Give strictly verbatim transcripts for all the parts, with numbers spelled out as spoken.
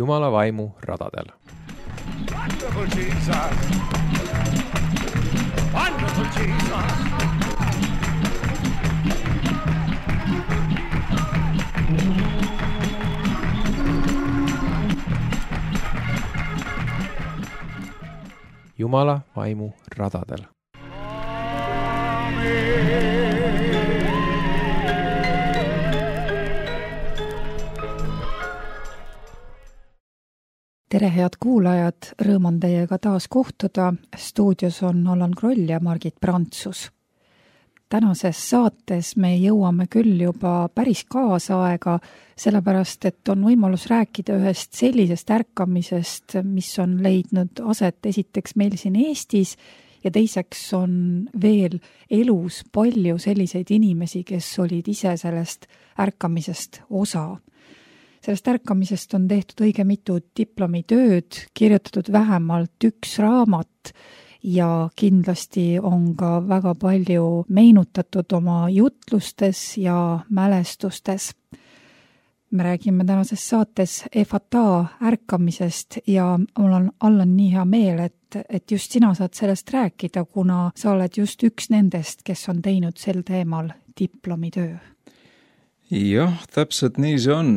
Jumala vaimu radadel. Wonderful Jesus! Wonderful Jesus! Jumala vaimu radadel. Tere head kuulajad, rõõm on teiega taas kohtuda. Stuudios on Allan Kroll ja Margit Prantsus. Tänases saates me jõuame küll juba päris kaasaega, sellepärast et on võimalus rääkida ühest sellisest ärkamisest, mis on leidnud aset esiteks meil siin Eestis ja teiseks on veel elus palju selliseid inimesi, kes olid ise sellest ärkamisest osa. Sellest ärkamisest on tehtud õige mitu diplomitööd, kirjutatud vähemalt üks raamat ja kindlasti on ka väga palju meenutatud oma jutlustes ja mälestustes. Me räägime tänases saates Efata ärkamisest ja mul on Allan nii hea meel, et, et just sina saad sellest rääkida, kuna sa oled just üks nendest, kes on teinud sel teemal diplomitöö. Jah, täpselt nii see on.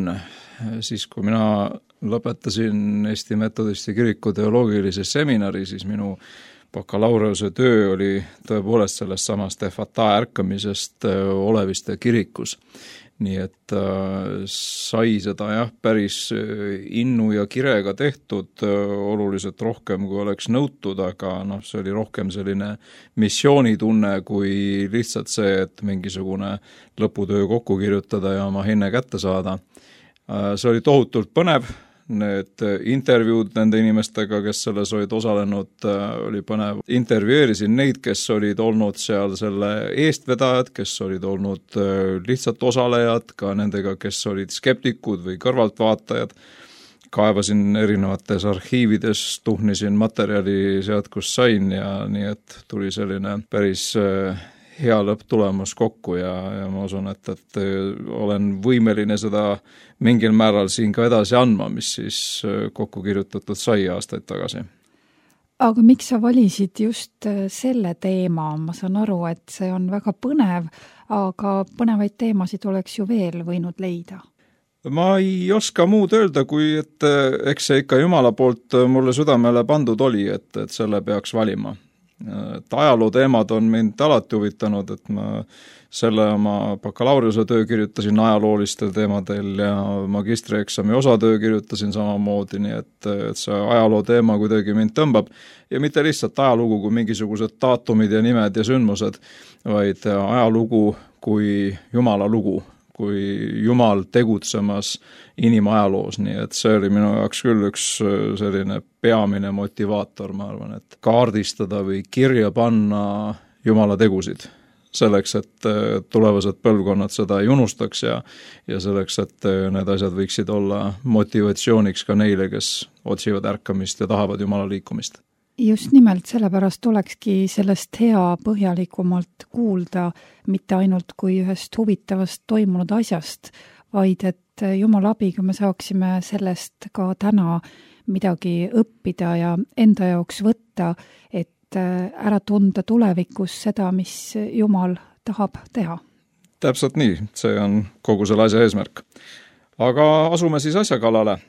Siis kui mina lõpetasin Eesti Metodisti kiriku teoloogilise seminari, siis minu bakalaureuse töö oli tõepoolest sellest samast Efata ärkamisest Oleviste kirikus. Nii et äh, sai seda jah, päris innu ja kirega tehtud oluliselt rohkem, kui oleks nõutud, aga noh, see oli rohkem selline missioonitunne kui lihtsalt see, et mingisugune lõputöö kokku kirjutada ja oma hinne kätte saada. See oli tohutult põnev, need intervjuud nende inimestega, kes selles olid osalenud, oli põnev. Intervjueerisin neid, kes olid olnud seal selle eestvedajad, kes olid olnud lihtsalt osalejad, ka nendega, kes olid skeptikud või kõrvaltvaatajad. Kaevasin erinevates arhiivides, tuhnisin materjali sealt, kus sain ja nii, et tuli selline päris hea lõpptulemus kokku ja, ja ma usun, et, et olen võimeline seda mingil määral siin ka edasi andma, mis siis kokku kirjutatud sai aastaid tagasi. Aga miks sa valisid just selle teema? Ma saan aru, et see on väga põnev, aga põnevaid teemasid oleks ju veel võinud leida. Ma ei oska muud öelda, kui et eks see ikka Jumala poolt mulle südamele pandud oli, et, et selle peaks valima. Et ajaloo teemad on mind alati huvitanud, et ma selle oma bakalaureuse töö kirjutasin ajaloolistel teemadel ja magistrieksami osatöö kirjutasin samamoodi, nii et, et see ajaloo teema kuidagi mind tõmbab ja mitte lihtsalt ajalugu kui mingisugused daatumid ja nimed ja sündmused, vaid ajalugu kui Jumala lugu, kui Jumal tegutsemas inimajaloos, nii et see oli minu jaoks küll üks selline peamine motivaator, ma arvan, et kaardistada või kirja panna Jumala tegusid, selleks, et tulevased põlvkonnad seda ei unustaks ja, ja selleks, et need asjad võiksid olla motivatsiooniks ka neile, kes otsivad ärkamist ja tahavad Jumala liikumist. Just nimelt sellepärast olekski sellest hea põhjalikumalt kuulda mitte ainult kui ühest huvitavast toimunud asjast, vaid et Jumala abiga me saaksime sellest ka täna midagi õppida ja enda jaoks võtta, et ära tunda tulevikus seda, mis Jumal tahab teha. Täpselt nii, see on kogu selle asja eesmärk. Aga asume siis asja kallale.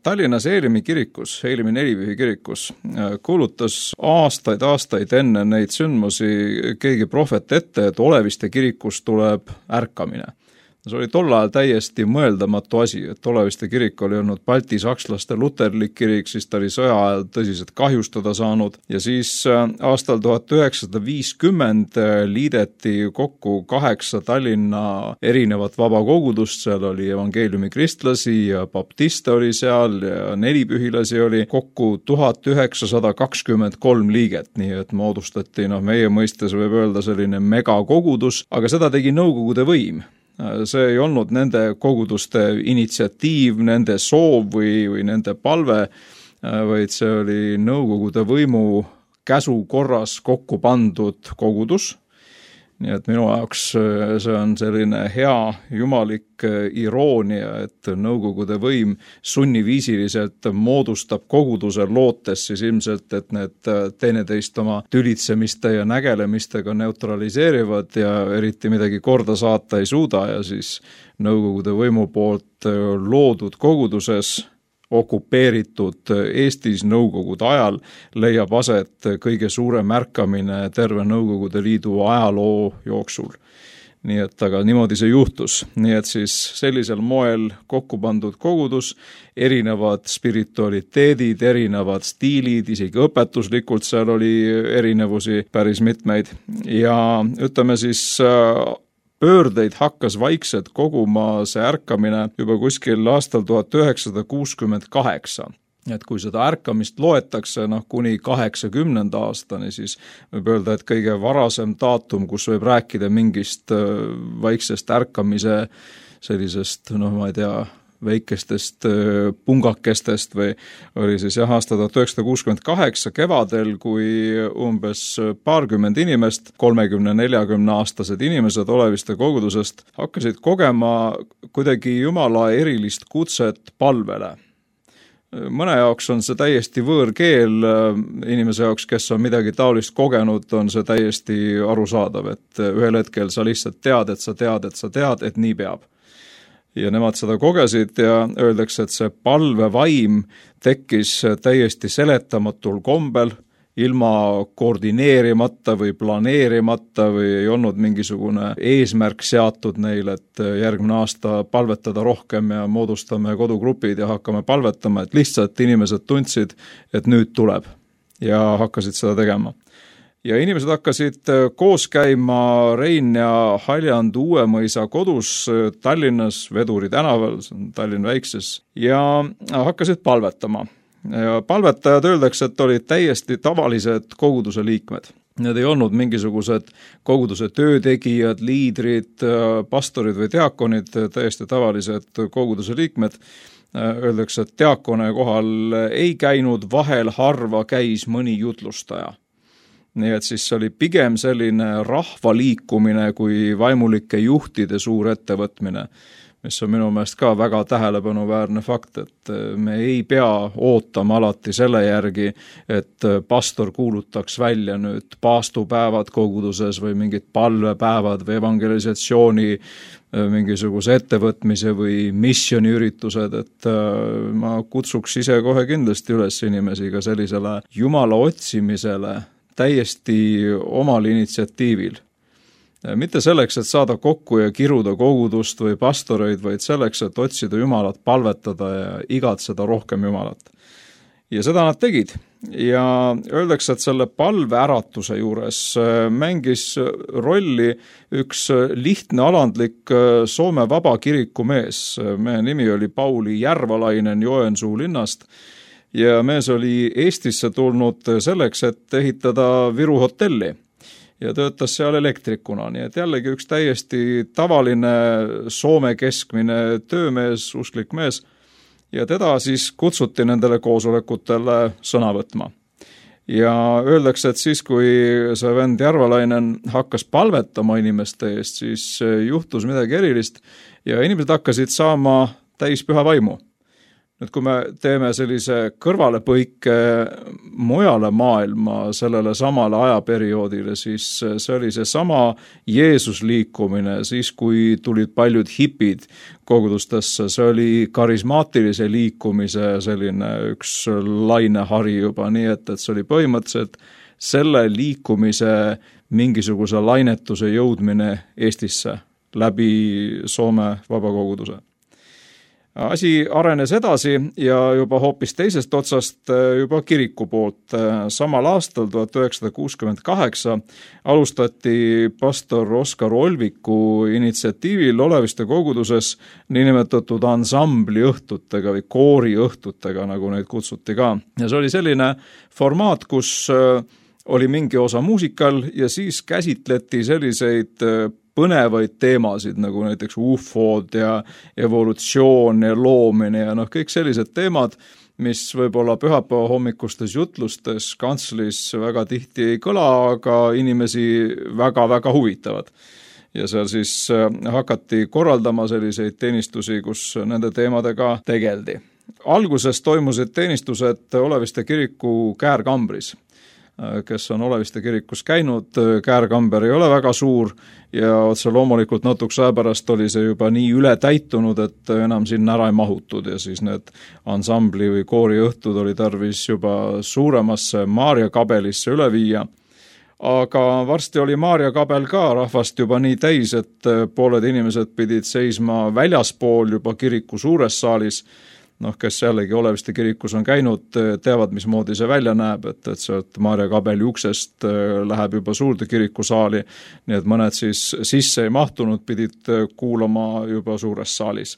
Tallinnas Eelimi kirikus, Eelimi nelipühi kirikus, kuulutas aastaid, aastaid enne neid sündmusi keegi prohvet ette, et Oleviste kirikus tuleb ärkamine. See oli tol ajal täiesti mõeldamatu asi, et Oleviste kirik oli olnud Balti sakslaste luterlik kirik, siis ta oli sõja ajal tõsiselt kahjustada saanud ja siis aastal tuhat üheksasada viiskümmend liideti kokku kaheksa Tallinna erinevat vabakogudust, seal oli evangeeliumi kristlasi ja baptiste oli seal ja nelipühilasi oli kokku tuhat üheksasada kakskümmend kolm liiget, nii et moodustati, noh, meie mõistes võib öelda selline megakogudus, aga seda tegi Nõukogude võim. See ei olnud nende koguduste initsiatiiv, nende soov või, või nende palve, vaid see oli Nõukogude võimu käsu korras kokku pandud kogudus nii et minu jaoks see on selline hea jumalik iroonia, et Nõukogude võim sunniviisiliselt moodustab koguduse lootes siis ilmselt, et need teineteist oma tülitsemiste ja nägelemistega neutraliseerivad ja eriti midagi korda saata ei suuda ja siis Nõukogude võimu poolt loodud koguduses okupeeritud Eestis Nõukogude ajal leiab aset kõige suurem märkamine terve Nõukogude Liidu ajaloo jooksul. Nii et aga niimoodi see juhtus. Nii et siis sellisel moel kokku pandud kogudus, erinevad spiritualiteedid, erinevad stiilid, isegi õpetuslikult seal oli erinevusi päris mitmeid. Ja ütleme siis pöördeid hakkas vaikselt koguma see ärkamine juba kuskil aastal tuhat üheksasada kuuskümmend kaheksa. Et kui seda ärkamist loetakse noh, kuni kaheksakümnenda aastani, siis võib öelda, et kõige varasem daatum, kus võib rääkida mingist vaiksest ärkamise sellisest, noh ma ei tea, väikestest pungakestest või oli siis jah, aasta tuhat üheksasada kuuskümmend kaheksa kevadel, kui umbes paarkümmend inimest, kolmekümne neljakümne aastased inimesed Oleviste kogudusest hakkasid kogema kuidagi Jumala erilist kutset palvele. Mõne jaoks on see täiesti võõrkeel, inimese jaoks, kes on midagi taolist kogenud, on see täiesti arusaadav, et ühel hetkel sa lihtsalt tead, et sa tead, et sa tead, et nii peab. Ja nemad seda kogesid ja öeldakse, et see palvevaim tekkis täiesti seletamatul kombel, ilma koordineerimata või planeerimata või ei olnud mingisugune eesmärk seatud neil, et järgmine aasta palvetada rohkem ja moodustame kodugrupid ja hakkame palvetama, et lihtsalt inimesed tundsid, et nüüd tuleb ja hakkasid seda tegema. Ja inimesed hakkasid koos käima Rein ja Haljand Uuemõisa kodus Tallinnas Veduri tänaval, see on Tallinn väikses, ja hakkasid palvetama. Ja palvetajad öeldakse, et olid täiesti tavalised koguduse liikmed. Need ei olnud mingisugused koguduse töötegijad, liidrid, pastorid või diakonid, täiesti tavalised koguduse liikmed. Öeldakse, et diakone kohal ei käinud, vahel harva käis mõni jutlustaja. Nii et siis oli pigem selline rahvaliikumine kui vaimulike juhtide suur ettevõtmine, mis on minu meelest ka väga tähelepanuväärne fakt, et me ei pea ootama alati selle järgi, et pastor kuulutaks välja nüüd paastupäevad koguduses või mingid palvepäevad või evangelisatsiooni mingisuguse ettevõtmise või missioniüritused, et ma kutsuks ise kohe kindlasti üles inimesi ka sellisele Jumala otsimisele täiesti omal initsiatiivil. Mitte selleks, et saada kokku ja kiruda kogudust või pastoreid, vaid selleks, et otsida Jumalat, palvetada ja igatseda rohkem Jumalat. Ja seda nad tegid. Ja öeldakse, et selle palveäratuse juures mängis rolli üks lihtne alandlik Soome vabakiriku mees. Meie nimi oli Pauli Järvalainen Joensuu linnast. Ja mees oli Eestisse tulnud selleks, et ehitada Viru hotelli ja töötas seal elektrikuna. Nii et jällegi üks täiesti tavaline Soome keskmine töömees, usklik mees ja teda siis kutsuti nendele koosolekutele sõna võtma. Ja öeldakse, et siis kui see vend Järvalainen hakkas palvetama inimeste eest, siis juhtus midagi erilist ja inimesed hakkasid saama täispüha vaimu. Nüüd, kui me teeme sellise kõrvalepõike mujale maailma sellele samale ajaperioodile, siis see oli see sama Jeesus liikumine, siis kui tulid paljud hipid kogudustesse, see oli karismaatilise liikumise selline üks lainehari juba, nii et, et see oli põhimõtteliselt selle liikumise mingisuguse lainetuse jõudmine Eestisse läbi Soome vabakoguduse. Asi arenes edasi ja juba hoopis teisest otsast juba kiriku poolt. Samal aastal tuhat üheksasada kuuskümmend kaheksa alustati pastor Oskar Olviku initsiatiivil Oleviste koguduses niinimetatud ansambli õhtutega või koori õhtutega, nagu neid kutsuti ka. Ja see oli selline formaat, kus oli mingi osa muusikal ja siis käsitleti selliseid põnevaid teemasid, nagu näiteks U F O-d ja evolutsioon ja loomine ja noh, kõik sellised teemad, mis võib-olla pühapäeva hommikustes jutlustes kantslis väga tihti ei kõla, aga inimesi väga-väga huvitavad. Ja seal siis hakati korraldama selliseid teenistusi, kus nende teemadega tegeldi. Alguses toimusid teenistused Oleviste kiriku käärkambris, kes on Oleviste kirikus käinud. Käärkamber ei ole väga suur ja otse loomulikult natuks aja pärast oli see juba nii üle täitunud, et enam sinna ära ei mahutud ja siis need ansambli või kooriõhtud oli tarvis juba suuremasse Maarja kabelisse üle viia. Aga varsti oli Maarja kabel ka rahvast juba nii täis, et pooled inimesed pidid seisma väljaspool juba kiriku suures saalis. Noh, kes jällegi Oleviste kirikus on käinud, teavad, mismoodi see välja näeb, et, et sealt Maarja kabeli uksest läheb juba suurde kirikusaali, nii et mõned siis sisse ei mahtunud, pidid kuulama juba suures saalis.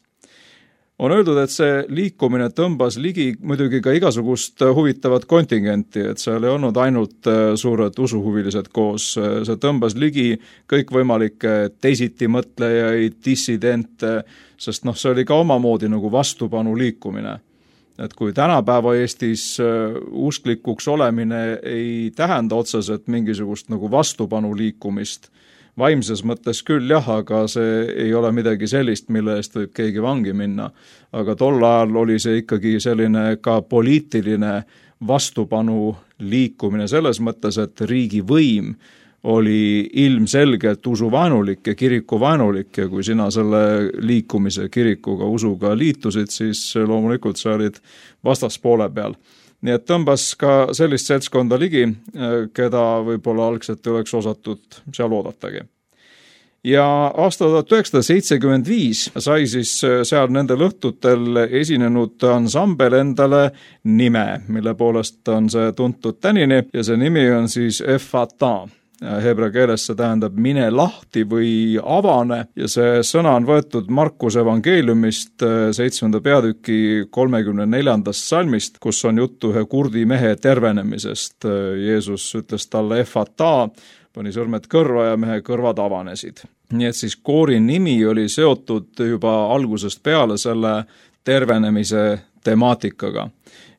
On öeldud, et see liikumine tõmbas ligi muidugi ka igasugust huvitavat kontingenti, et seal ei olnud ainult suured usuhuvilised koos, see tõmbas ligi kõikvõimalikke teisiti mõtlejaid, dissidente, sest noh, see oli ka omamoodi nagu vastupanu liikumine. Et kui tänapäeva Eestis usklikuks olemine ei tähenda otseselt mingisugust nagu vastupanu liikumist, vaimses mõttes küll jah, aga see ei ole midagi sellist, mille eest võib keegi vangi minna. Aga tol ajal oli see ikkagi selline ka poliitiline vastupanu liikumine selles mõttes, et riigi võim oli ilmselgelt usuvaenulik ja kirikuvaenulik ja kui sina selle liikumise kirikuga usuga liitusid, siis loomulikult sa olid vastaspoole peal. Nii et tõmbas ka sellist seltskonda ligi, keda võib-olla algselt ei oleks osatud seal oodatagi. Ja aasta tuhat üheksasada seitsekümmend viis sai siis seal nendel õhtutel esinenud ansambel endale nime, mille poolest on see tuntud tänini ja see nimi on siis Efata. Hebra keeles see tähendab mine lahti või avane ja see sõna on võetud Markuse evangeeliumist seitsmenda peatüki kolmekümne neljandast salmist, kus on juttu ühe kurdi mehe tervenemisest. Jeesus ütles talle Efata, pani sõrmed kõrva ja mehe kõrvad avanesid. Nii et siis koori nimi oli seotud juba algusest peale selle tervenemise temaatikaga.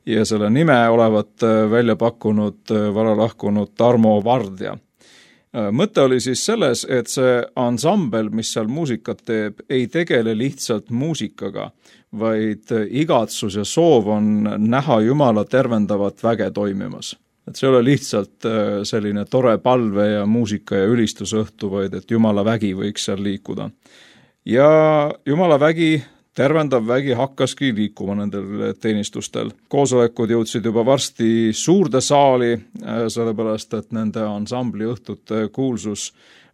Ja selle nime olevat välja pakkunud varalahkunud Tarmo Vardja. Mõte oli siis selles, et see ansambel, mis seal muusikat teeb, ei tegele lihtsalt muusikaga, vaid igatsus ja soov on näha Jumala tervendavat väge toimimas. Et see ei ole lihtsalt selline tore palve ja muusika ja ülistusõhtu, vaid et Jumala vägi võiks seal liikuda. Ja Jumala vägi tervendav vägi hakkaski liikuma nendel teenistustel. Koosolekud jõudsid juba varsti suurde saali, sellepärast et nende ansambli õhtute kuulsus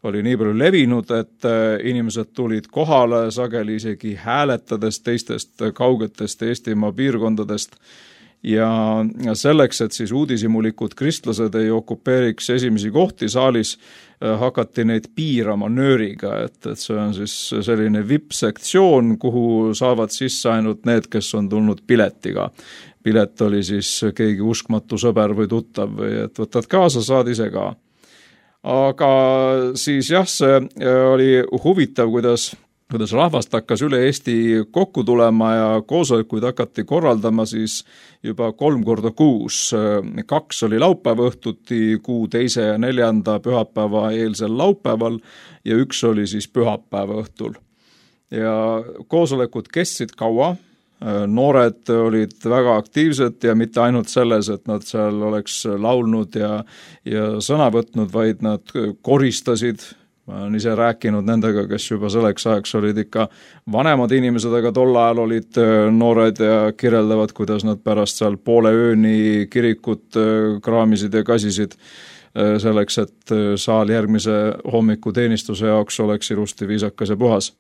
oli nii palju levinud, et inimesed tulid kohale sageli isegi hääletades teistest kaugetest Eestimaa piirkondadest. Ja selleks, et siis uudishimulikud kristlased ei okupeeriks esimesi kohti saalis, hakati neid piirama nööriga, et, et see on siis selline V I P-sektsioon, kuhu saavad sisse ainult need, kes on tulnud piletiga. Pilet oli siis keegi uskmatu sõber või tuttav või et võtad kaasa, saad ise ka. Aga siis jah, see oli huvitav, kuidas kuidas rahvast hakkas üle Eesti kokku tulema ja koosolekuid hakati korraldama siis juba kolm korda kuus. Kaks oli laupäeva õhtuti, kuu teise ja neljanda pühapäeva eelsel laupäeval ja üks oli siis pühapäeva õhtul. Ja koosolekud kestsid kaua, noored olid väga aktiivsed ja mitte ainult selles, et nad seal oleks laulnud ja, ja sõna võtnud, vaid nad koristasid. Ma olen ise rääkinud nendega, kes juba selleks ajaks olid ikka vanemad inimesed, aga tol ajal olid noored ja kirjeldavad, kuidas nad pärast seal poole ööni kirikut kraamisid ja kasisid selleks, et saal järgmise hommikuteenistuse jaoks oleks ilusti viisakas ja puhas.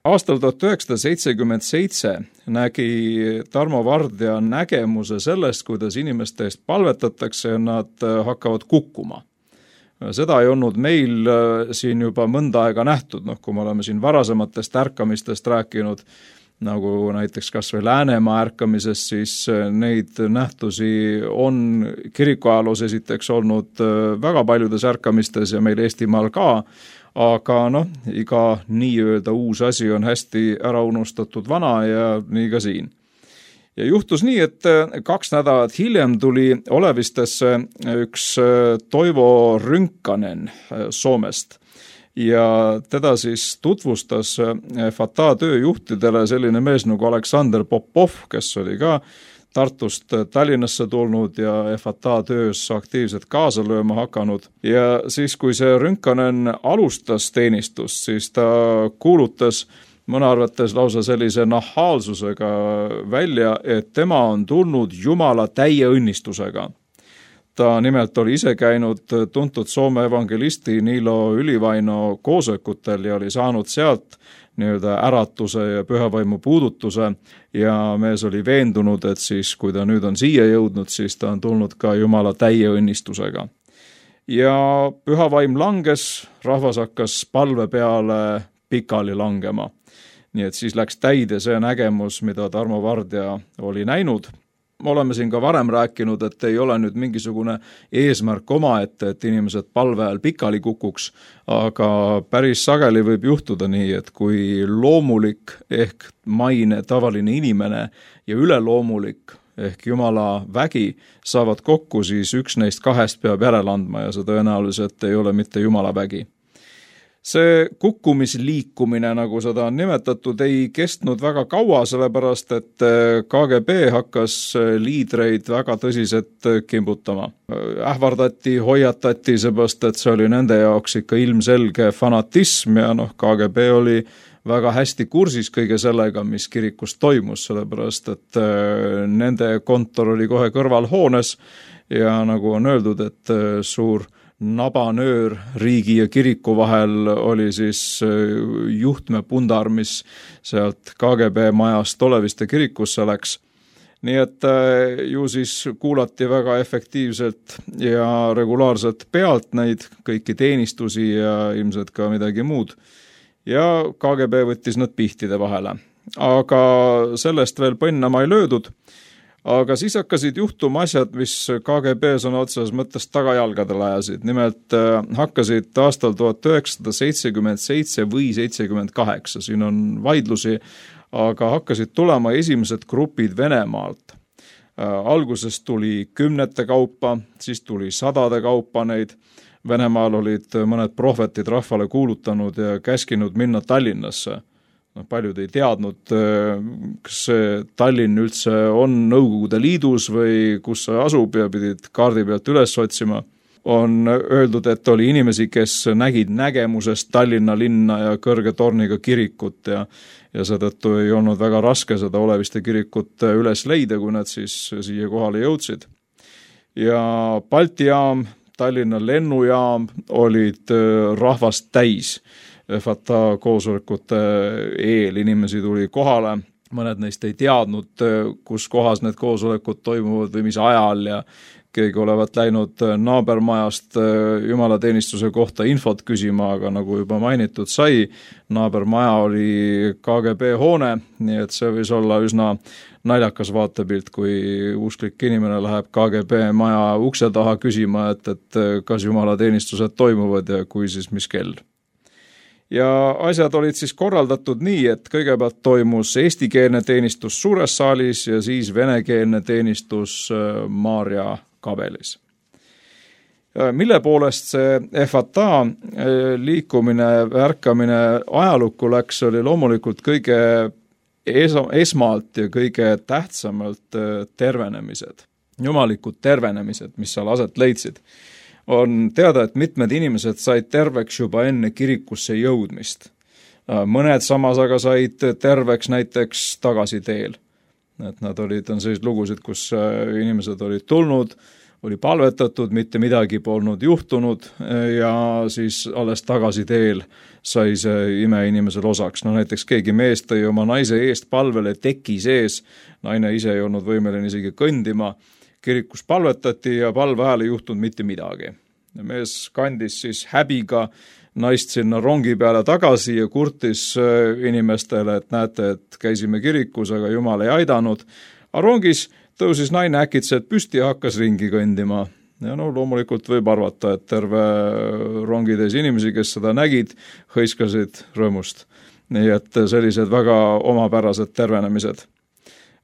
Aastal tuhat üheksasada seitsekümmend seitse nägi Tarmo Vardja nägemuse sellest, kuidas inimeste eest palvetatakse ja nad hakkavad kukkuma. Seda ei olnud meil siin juba mõnda aega nähtud, noh, kui me oleme siin varasematest ärkamistest rääkinud, nagu näiteks kas või Läänemaa ärkamisest, siis neid nähtusi on kirikuajaloos esiteks olnud väga paljudes ärkamistes ja meil Eestimaal ka, aga noh, iga nii-öelda uus asi on hästi ära unustatud vana ja nii ka siin. Ja juhtus nii, et kaks nädalat hiljem tuli Olevistesse üks Toivo Rynkanen Soomest ja teda siis tutvustas F A T A tööjuhtidele selline mees nagu Aleksander Popov, kes oli ka Tartust Tallinnasse tulnud ja F A T A töös aktiivselt kaasa lööma hakanud. Ja siis, kui see Rynkanen alustas teenistust, siis ta kuulutas mõne arvates lausa sellise nahaalsusega välja, et tema on tulnud Jumala täie õnnistusega. Ta nimelt oli ise käinud tuntud Soome evangelisti Niilo Ylivaino koosolekutel ja oli saanud sealt nii-öelda äratuse ja pühavaimu puudutuse ja mees oli veendunud, et siis, kui ta nüüd on siia jõudnud, siis ta on tulnud ka Jumala täie õnnistusega. Ja pühavaim langes, rahvas hakkas palve peale pikali langema. Nii et siis läks täide see nägemus, mida Tarmo Vardja oli näinud. Me oleme siin ka varem rääkinud, et ei ole nüüd mingisugune eesmärk omaette, et inimesed palve ajal pikali kukuks, aga päris sageli võib juhtuda nii, et kui loomulik ehk maine tavaline inimene ja üleloomulik ehk Jumala vägi saavad kokku, siis üks neist kahest peab järele andma ja see tõenäoliselt ei ole mitte Jumala vägi. See kukkumisliikumine, nagu seda on nimetatud, ei kestnud väga kaua, sellepärast et K G B hakkas liidreid väga tõsiselt kimbutama. Ähvardati, hoiatati, seepärast et see oli nende jaoks ikka ilmselge fanatism ja noh, K G B oli väga hästi kursis kõige sellega, mis kirikus toimus, sellepärast et nende kontor oli kohe kõrvalhoones ja nagu on öeldud, et suur nabanöör riigi ja kiriku vahel oli siis juhtmepundar, mis sealt K G B majast Oleviste kirikusse läks. Nii et ju siis kuulati väga efektiivselt ja regulaarselt pealt neid kõiki teenistusi ja ilmselt ka midagi muud. Ja K G B võttis nad pihtide vahele. Aga sellest veel põnnama ei löödud. Aga siis hakkasid juhtuma asjad, mis K G B sõna otseses mõttes tagajalgadele ajasid. Nimelt hakkasid aastal tuhat üheksasada seitsekümmend seitse või seitsekümmend kaheksa, siin on vaidlusi, aga hakkasid tulema esimesed grupid Venemaalt. Alguses tuli kümnete kaupa, siis tuli sadade kaupa neid. Venemaal olid mõned prohvetid rahvale kuulutanud ja käskinud minna Tallinnasse. No, paljud ei teadnud, kas Tallinn üldse on Nõukogude Liidus või kus see asub ja pidid kaardi pealt üles otsima. On öeldud, et oli inimesi, kes nägid nägemusest Tallinna linna ja kõrge torniga kirikut ja, ja seetõttu ei olnud väga raske seda Oleviste kirikut üles leida, kui nad siis siia kohale jõudsid. Ja Balti jaam, Tallinna lennujaam olid rahvast täis. F A T A koosolekute eel inimesi tuli kohale, mõned neist ei teadnud, kus kohas need koosolekud toimuvad või mis ajal ja keegi olevat läinud naabermajast jumalateenistuse kohta infot küsima, aga nagu juba mainitud sai, naabermaja oli K G B hoone, nii et see võis olla üsna naljakas vaatepilt, kui usklik inimene läheb K G B maja ukse taha küsima, et, et kas jumalateenistused toimuvad ja kui siis mis kell. Ja asjad olid siis korraldatud nii, et kõigepealt toimus eestikeelne teenistus suures saalis ja siis venekeelne teenistus Maarja kabelis. Mille poolest see F A T A liikumine, ärkamine ajalukku läks, oli loomulikult kõige esmalt ja kõige tähtsamalt tervenemised, jumalikud tervenemised, mis seal aset leidsid. On teada, et mitmed inimesed said terveks juba enne kirikusse jõudmist. Mõned samas aga said terveks näiteks tagasiteel. Et nad olid, on sellised lugusid, kus inimesed olid tulnud, oli palvetatud, mitte midagi polnud juhtunud ja siis alles tagasiteel sai see ime inimesel osaks. No näiteks keegi mees tõi oma naise eest palvele teki sees, naine ise ei olnud võimeline isegi kõndima, kirikus palvetati ja palve ajal ei juhtunud mitte midagi. Mees kandis siis häbiga naist sinna rongi peale tagasi ja kurtis inimestele, et näete, et käisime kirikus, aga Jumal ei aidanud. A rongis tõusis naine äkitselt püsti ja hakkas ringi kõndima. Ja no loomulikult võib arvata, et terve rongitäis inimesi, kes seda nägid, hõiskasid rõõmust. Nii et sellised väga omapärased tervenemised.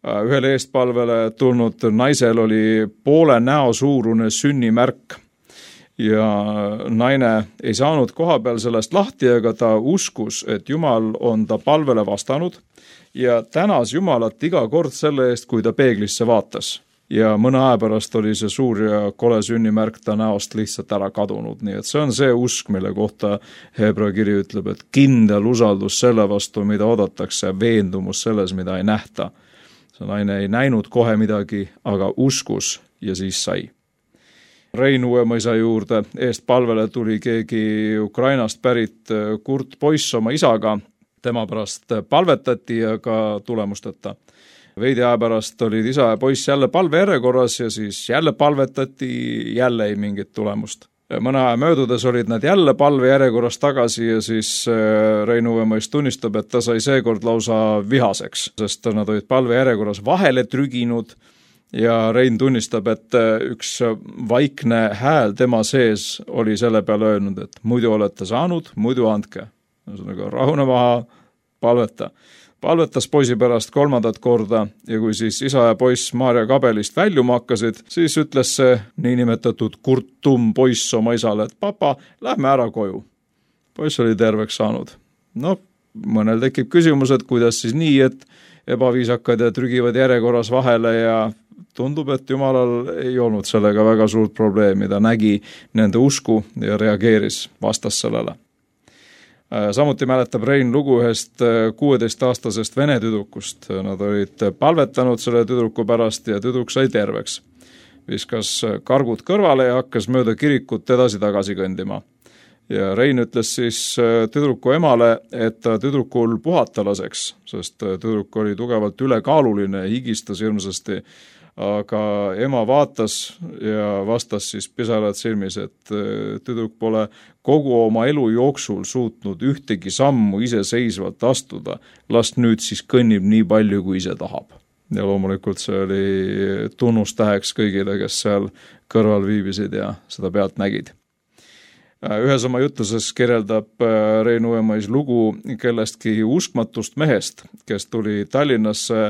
Ühele eestpalvele tulnud naisel oli poole näo suurune sünnimärk ja naine ei saanud koha peal sellest lahti, aga ta uskus, et Jumal on ta palvele vastanud ja tänas Jumalat iga kord selle eest, kui ta peeglisse vaatas. Ja mõne aja pärast oli see suur ja kole sünnimärk ta näost lihtsalt ära kadunud. Nii et see on see usk, mille kohta Hebra kiri ütleb, et kindel usaldus selle vastu, mida oodatakse, veendumus selles, mida ei nähta. See naine ei näinud kohe midagi, aga uskus ja siis sai. Rein Uuemõisa juurde eest palvele tuli keegi Ukrainast pärit kurt poiss oma isaga. Tema pärast palvetati ja ka tulemusteta. Veidi aja pärast olid isa ja poiss jälle palve järjekorras ja siis jälle palvetati, jälle ei mingit tulemust. Mõne aja möödudes olid nad jälle palve järjekorras tagasi ja siis Rein Uuemõis tunnistab, et ta sai seekord lausa vihaseks, sest nad olid palve järjekorras vahele trüginud ja Rein tunnistab, et üks vaikne hääl tema sees oli selle peale öelnud, et muidu olete saanud, muidu andke. Rahune maha, palveta. Palvetas poisi pärast kolmandat korda ja kui siis isa ja poiss Maarja kabelist väljuma hakkasid, siis ütles see niinimetatud kurtum poiss oma isale, et papa, lähme ära koju. Poiss oli terveks saanud. No, mõnel tekib küsimus, et kuidas siis nii, et ebaviisakad ja trügivad järjekorras vahele ja tundub, et Jumalal ei olnud sellega väga suurt probleemi. Ta nägi nende usku ja reageeris vastas sellele. Samuti mäletab Rein lugu ühest kuueteistaastasest vene tüdrukust. Nad olid palvetanud selle tüdruku pärast ja tüdruk sai terveks. Viskas kargud kõrvale ja hakkas mööda kirikut edasi tagasi kõndima. Ja Rein ütles siis tüdruku emale, et ta tüdrukul puhata laseks, sest tüdruk oli tugevalt ülekaaluline ja higistas hirmsasti. Aga ema vaatas ja vastas siis pisarad silmis, et tüdruk pole kogu oma elu jooksul suutnud ühtegi sammu iseseisvalt astuda. Last nüüd siis kõnnib nii palju, kui ise tahab. Ja loomulikult see oli tunnustäheks kõigile, kes seal kõrval viibisid ja seda pealt nägid. Ühes oma jutuses kirjeldab Rein Uuemõis lugu kellestki uskmatust mehest, kes tuli Tallinnasse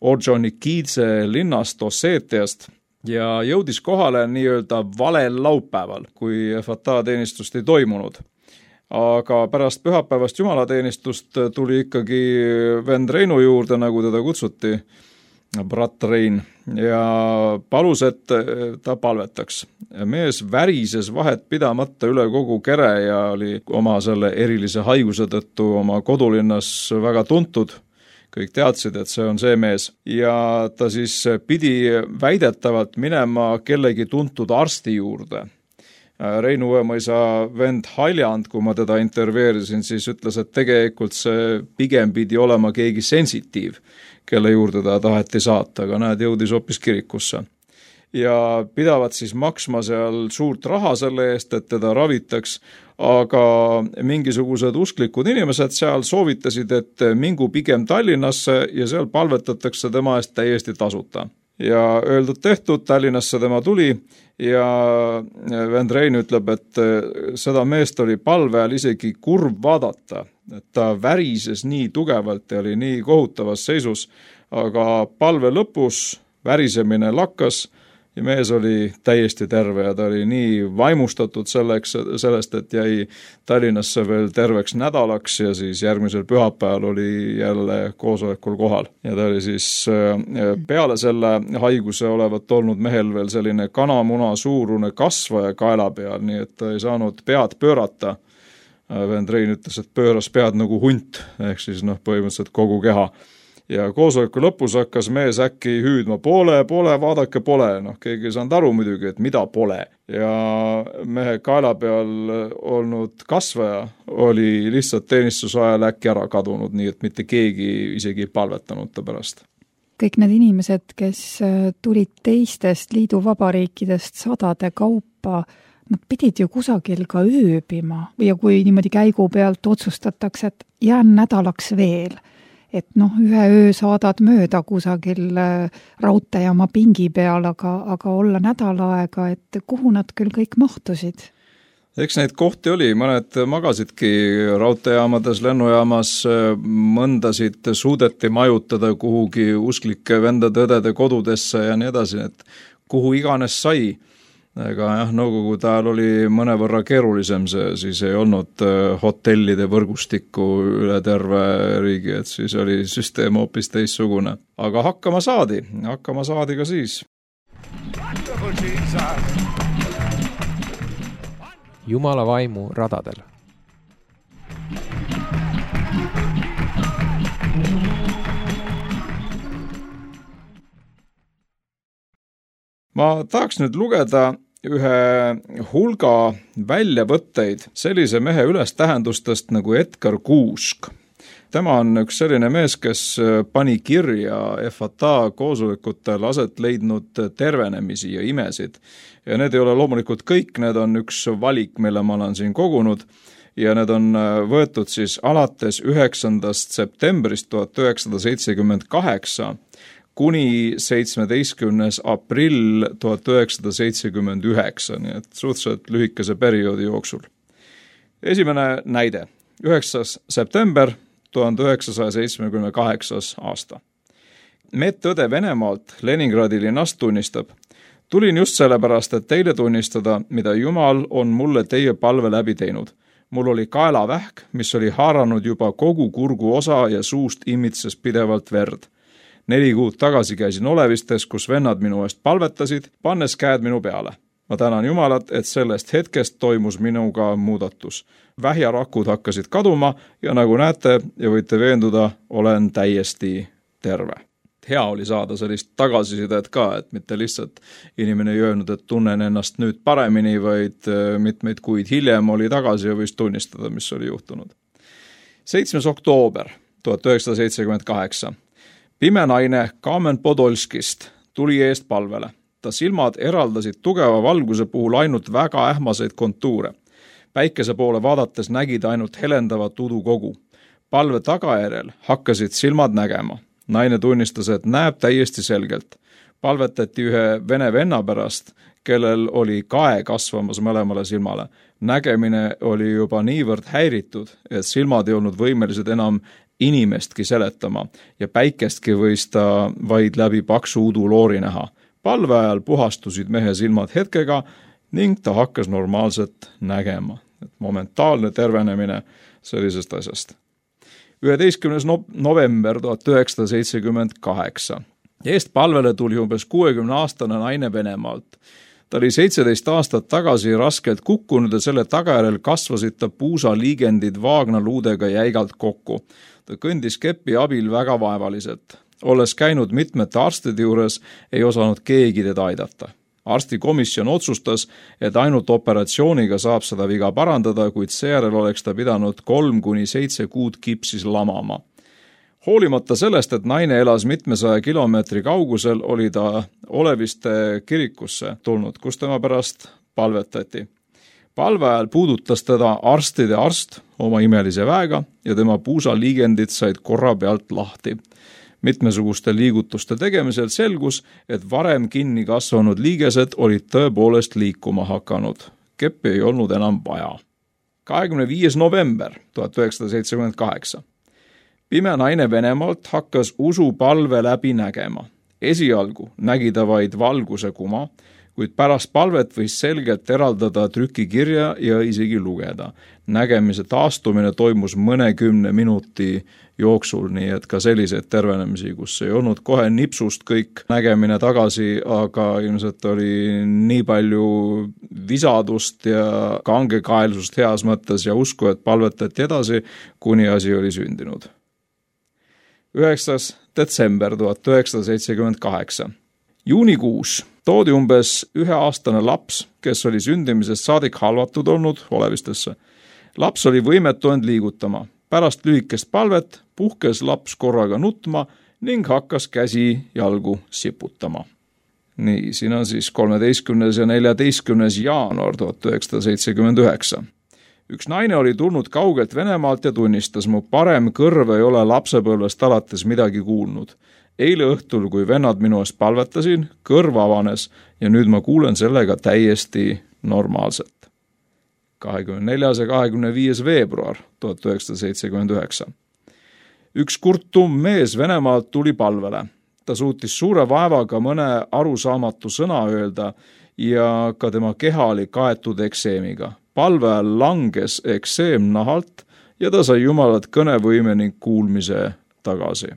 Orjonikidze linnast Osseetiast ja jõudis kohale nii-öelda valel laupäeval, kui F A T A-teenistust ei toimunud. Aga pärast pühapäevast jumalateenistust tuli ikkagi vend Reinu juurde, nagu teda kutsuti, brat Rein, ja palus, et ta palvetaks. Mees värises vahet pidamata üle kogu kere ja oli oma selle erilise haiguse tõttu oma kodulinnas väga tuntud. Kõik teadsid, et see on see mees. Ja ta siis pidi väidetavalt minema kellegi tuntud arsti juurde. Rein Uuemõisa vend Haljand, kui ma teda intervjueerisin, siis ütles, et tegelikult see pigem pidi olema keegi sensitiiv, kelle juurde ta taheti saata, aga näed, jõudis hoopis kirikusse. Ja pidavat siis maksma seal suurt raha selle eest, et teda ravitaks, aga mingisugused usklikud inimesed seal soovitasid, et mingu pigem Tallinnasse ja seal palvetatakse tema eest täiesti tasuta. Ja öeldud tehtud, Tallinnasse tema tuli ja vend Rein ütleb, et seda meest oli palve ajal isegi kurb vaadata, et ta värises nii tugevalt ja oli nii kohutavas seisus, aga palve lõpus värisemine lakkas ja mees oli täiesti terve ja ta oli nii vaimustatud selleks, sellest, et jäi Tallinnasse veel terveks nädalaks ja siis järgmisel pühapäeval oli jälle koosolekul kohal. Ja ta oli siis peale selle haiguse olevat olnud mehel veel selline kanamuna suurune kasvaja kaela peal, nii et ta ei saanud pead pöörata. Vend Rein ütles, et pööras pead nagu hunt, ehk siis noh, põhimõtteliselt kogu keha. Ja koosoleku lõpus hakkas mees äkki hüüdma poole, poole, vaadake pole. Noh, keegi ei saanud aru muidugi, et mida pole. Ja mehe kaela peal olnud kasvaja oli lihtsalt teenistusajal äkki ära kadunud, nii et mitte keegi isegi ei palvetanud ta pärast. Kõik need inimesed, kes tulid teistest liiduvabariikidest sadade kaupa, nad pidid ju kusagil ka ööbima ja kui niimoodi käigu pealt otsustatakse, et jään nädalaks veel, et noh, ühe öö saadad mööda kusagil raudteejaama pingi peal, aga, aga olla nädal aega, et kuhu nad küll kõik mahtusid? Eks neid kohti oli, mõned magasidki raudteejaamades, lennujaamas, mõndasid suudeti majutada kuhugi usklike vendade-õdede kodudesse ja nii edasi, et kuhu iganes sai. Ega jah, nõukogude ajal oli mõnevõrra keerulisem see, siis ei olnud hotellide võrgustikku üle terve riigi, et siis oli süsteem hoopis teissugune. Aga hakkama saadi, hakkama saadi ka siis. Jumala vaimu radadel. Ma tahaks nüüd lugeda ühe hulga väljavõtteid sellise mehe ülestähendustest nagu Edgar Kuusk. Tema on üks selline mees, kes pani kirja F A T A koosolekutel aset leidnud tervenemisi ja imesid. Ja need ei ole loomulikult kõik, need on üks valik, mille ma olen siin kogunud ja need on võetud siis alates üheksandast septembrist tuhat üheksasada seitsekümmend kaheksa kuni seitsmeteistkümnes aprill tuhat üheksasada seitsekümmend üheksa, nii et suhteliselt lühikese perioodi jooksul. Esimene näide, üheksas september tuhat üheksasada seitsekümmend kaheksa aasta. Medõde Venemaalt Leningradi linnast tunnistab: tulin just sellepärast, et teile tunnistada, mida Jumal on mulle teie palve läbi teinud. Mul oli kaelavähk, mis oli haaranud juba kogu kurgu osa ja suust imitses pidevalt verd. Neli kuud tagasi käisin olevistes, kus vennad minu eest palvetasid, pannes käed minu peale. Ma tänan Jumalat, et sellest hetkest toimus minuga muudatus. Vähjarakud hakkasid kaduma ja nagu näete ja võite veenduda, olen täiesti terve. Hea oli saada sellist tagasisidet ka, et mitte lihtsalt inimene ei öelnud, et tunnen ennast nüüd paremini, vaid mitmeid kuid hiljem oli tagasi ja võis tunnistada, mis oli juhtunud. seitsmes oktoober tuhat üheksasada seitsekümmend kaheksa. Pime naine Kamen Podolskist tuli eest palvele. Ta silmad eraldasid tugeva valguse puhul ainult väga ähmaseid kontuure. Päikese poole vaadates nägid ainult helendavat udukogu. Palve tagajärjel hakkasid silmad nägema. Naine tunnistas, et näeb täiesti selgelt. Palvetati ühe vene venna pärast, kellel oli kae kasvamas mõlemale silmale. Nägemine oli juba niivõrd häiritud, et silmad ei olnud võimelised enam inimestki seletama ja päikestki võis ta vaid läbi paksu uduloori näha. Palve ajal puhastusid mehe silmad hetkega ning ta hakkas normaalselt nägema. Et momentaalne tervenemine sellisest asjast. üheteistkümnes november tuhat üheksasada seitsekümmend kaheksa. Eest palvele tuli umbes kuuekümne aastane naine Venemaalt. Ta oli seitseteist aastat tagasi raskelt kukkunud ja selle tagajärjel kasvasid ta puusaliigendid vaagnaluudega jäigalt kokku. Ta kõndis kepi abil väga vaevaliselt. Olles käinud mitmete arstide juures, ei osanud keegi teda aidata. Arstikomisjon otsustas, et ainult operatsiooniga saab seda viga parandada, kuid seejärel oleks ta pidanud kolm kuni seitse kuud kipsis lamama. Hoolimata sellest, et naine elas mitmesaja kilomeetri kaugusel, oli ta Oleviste kirikusse tulnud, kus tema pärast palvetati. Palve ajal puudutas teda arstide arst oma imelise väega ja tema puusaliigendid said korra pealt lahti. Mitmesuguste liigutuste tegemisel selgus, et varem kinni kasvanud liigesed olid tõepoolest liikuma hakanud. Keppi ei olnud enam vaja. kahekümne viies november tuhat üheksasada seitsekümmend kaheksa. Pime naine Venemaalt hakkas usupalve läbi nägema. Esialgu nägi ta vaid valguse kuma, kuid pärast palvet võis selgelt eraldada trükikirja ja isegi lugeda. Nägemise taastumine toimus mõnekümne minuti jooksul, nii et ka selliseid tervenemisi, kus ei olnud kohe nipsust kõik nägemine tagasi, aga ilmselt oli nii palju visadust ja kangekaelsust heas mõttes ja usku, et palvetati edasi, kuni asi oli sündinud. üheksas detsember tuhat üheksasada seitsekümmend kaheksa. Juunikuus toodi umbes üheaastane laps, kes oli sündimisest saadik halvatud olnud olevistesse. Laps oli võimetu end liigutama. Pärast lühikest palvet puhkes laps korraga nutma ning hakkas käsi jalgu siputama. Nii, siin on siis kolmeteistkümnes ja neljateistkümnes jaanuar tuhat üheksasada seitsekümmend üheksa. Üks naine oli tulnud kaugelt Venemaalt ja tunnistas, mu parem kõrv ei ole lapsepõlvest alates midagi kuulnud. Eile õhtul, kui vennad minu eest palvetasin, kõrv avanes ja nüüd ma kuulen sellega täiesti normaalselt. kahekümne neljas ja kahekümne viies veebruar tuhat üheksasada seitsekümmend üheksa. Üks kurtum mees Venemaalt tuli palvele. Ta suutis suure vaevaga mõne arusaamatu sõna öelda ja ka tema keha oli kaetud ekseemiga. Palve langes ekseem nahalt ja ta sai Jumalat kõnevõime ning kuulmise tagasi.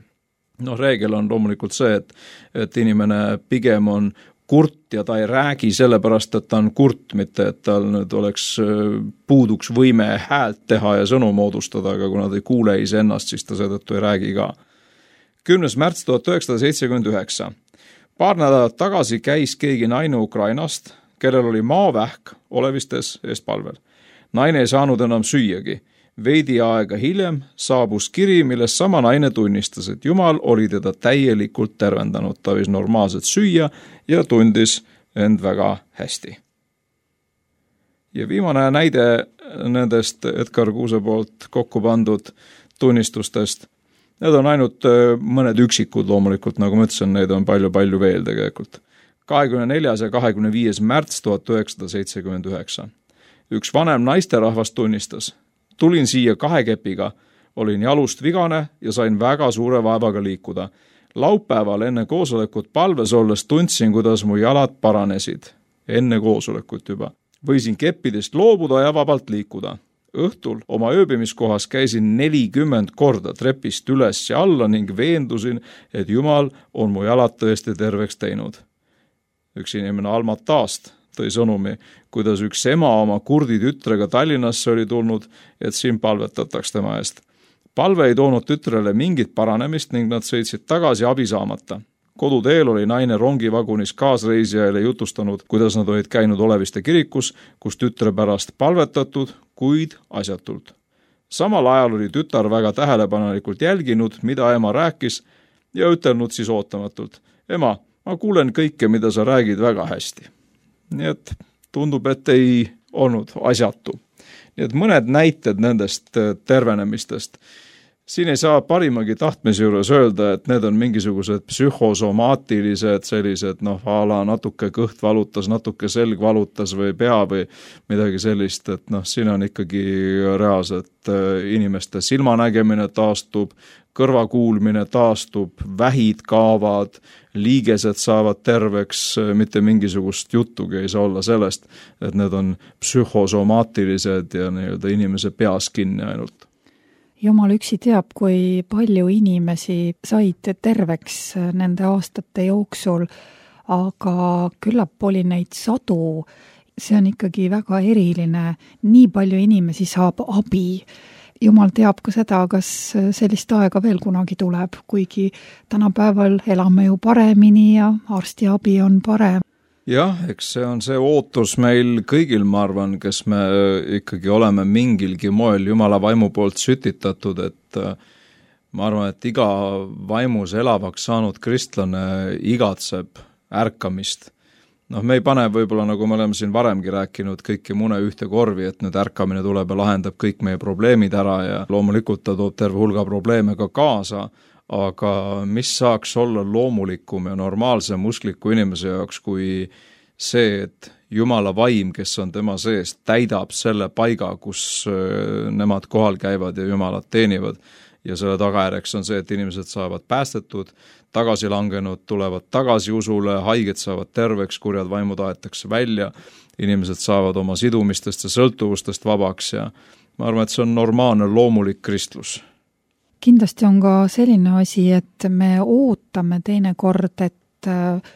Noh, reegel on loomulikult see, et, et inimene pigem on kurt ja ta ei räägi sellepärast, et ta on kurt, mitte et tal nüüd oleks puuduks võime häält teha ja sõnu moodustada, aga kuna ta ei kuule iseennast, siis ta seetõttu ei räägi ka. kümnes märts tuhat üheksasada seitsekümmend üheksa. Paar nädalat tagasi käis keegi naine Ukrainast, kellel oli maavähk olevistes eespalvel. Naine ei saanud enam süüagi. Veidi aega hiljem saabus kiri, milles sama naine tunnistas, et Jumal oli teda täielikult tervendanud. Ta võis normaalselt süüa ja tundis end väga hästi. Ja viimane näide nendest Edgar Kuuse poolt kokku pandud tunnistustest. Need on ainult mõned üksikud loomulikult, nagu ma ütlesin, neid on palju-palju veel tegelikult. kahekümne neljas ja kahekümne viies märts tuhat üheksasada seitsekümmend üheksa. Üks vanem naisterahvas tunnistas. Tulin siia kahe kepiga, olin jalust vigane ja sain väga suure vaevaga liikuda. Laupäeval enne koosolekut palves olles tundsin, kuidas mu jalad paranesid. Enne koosolekut juba. Võisin keppidest loobuda ja vabalt liikuda. Õhtul oma ööbimiskohas käisin nelikümmend korda trepist üles ja alla ning veendusin, et Jumal on mu jalad tõesti terveks teinud. Üks inimene Almatast tõi sõnumi, kuidas üks ema oma kurdi tütrega Tallinnasse oli tulnud, et siin palvetataks tema eest. Palve ei toonud tütrele mingit paranemist ning nad sõitsid tagasi abi saamata. Koduteel oli naine rongivagunis kaasreisijaile jutustanud, kuidas nad olid käinud Oleviste kirikus, kus tütre pärast palvetatud, kuid asjatult. Samal ajal oli tütar väga tähelepanelikult jälginud, mida ema rääkis ja ütelnud siis ootamatult. Ema, ma kuulen kõike, mida sa räägid väga hästi. Nii et tundub, et ei olnud asjatu. Nii et mõned näited nendest tervenemistest. Siin ei saa parimagi tahtmise juures öelda, et need on mingisugused psühhosomaatilised sellised, noh, ala natuke kõht valutas, natuke selg valutas või pea või midagi sellist, et noh, siin on ikkagi reaalselt inimeste silmanägemine taastub, kõrvakuulmine taastub, vähid kaavad, liigesed saavad terveks, mitte mingisugust juttugi ei saa olla sellest, et need on psühhosomaatilised ja nii-öelda inimese peas kinni ainult. Jumal üksi teab, kui palju inimesi said terveks nende aastate jooksul, aga küllap oli neid sadu. See on ikkagi väga eriline. Nii palju inimesi saab abi. Jumal teab ka seda, kas sellist aega veel kunagi tuleb, kuigi tänapäeval elame ju paremini ja arstiabi on parem. Jah, eks see on see ootus meil kõigil, ma arvan, kes me ikkagi oleme mingilgi moel Jumala vaimu poolt sütitatud, et ma arvan, et iga vaimus elavaks saanud kristlane igatseb ärkamist. Noh, me ei pane võib-olla, nagu me oleme siin varemgi rääkinud, kõiki mune ühte korvi, et nüüd ärkamine tuleb ja lahendab kõik meie probleemid ära ja loomulikult ta toob terve hulga probleeme ka kaasa, aga mis saaks olla loomulikum ja normaalsem uskliku inimese jaoks kui see, et Jumala vaim, kes on tema sees, täidab selle paiga, kus nemad kohal käivad ja Jumalat teenivad. Ja selle tagajärjeks on see, et inimesed saavad päästetud, tagasi langenud, tulevad tagasi usule, haiged saavad terveks, kurjad vaimud aetakse välja, inimesed saavad oma sidumistest ja sõltuvustest vabaks ja ma arvan, et see on normaalne loomulik kristlus. Kindlasti on ka selline asi, et me ootame teinekord, et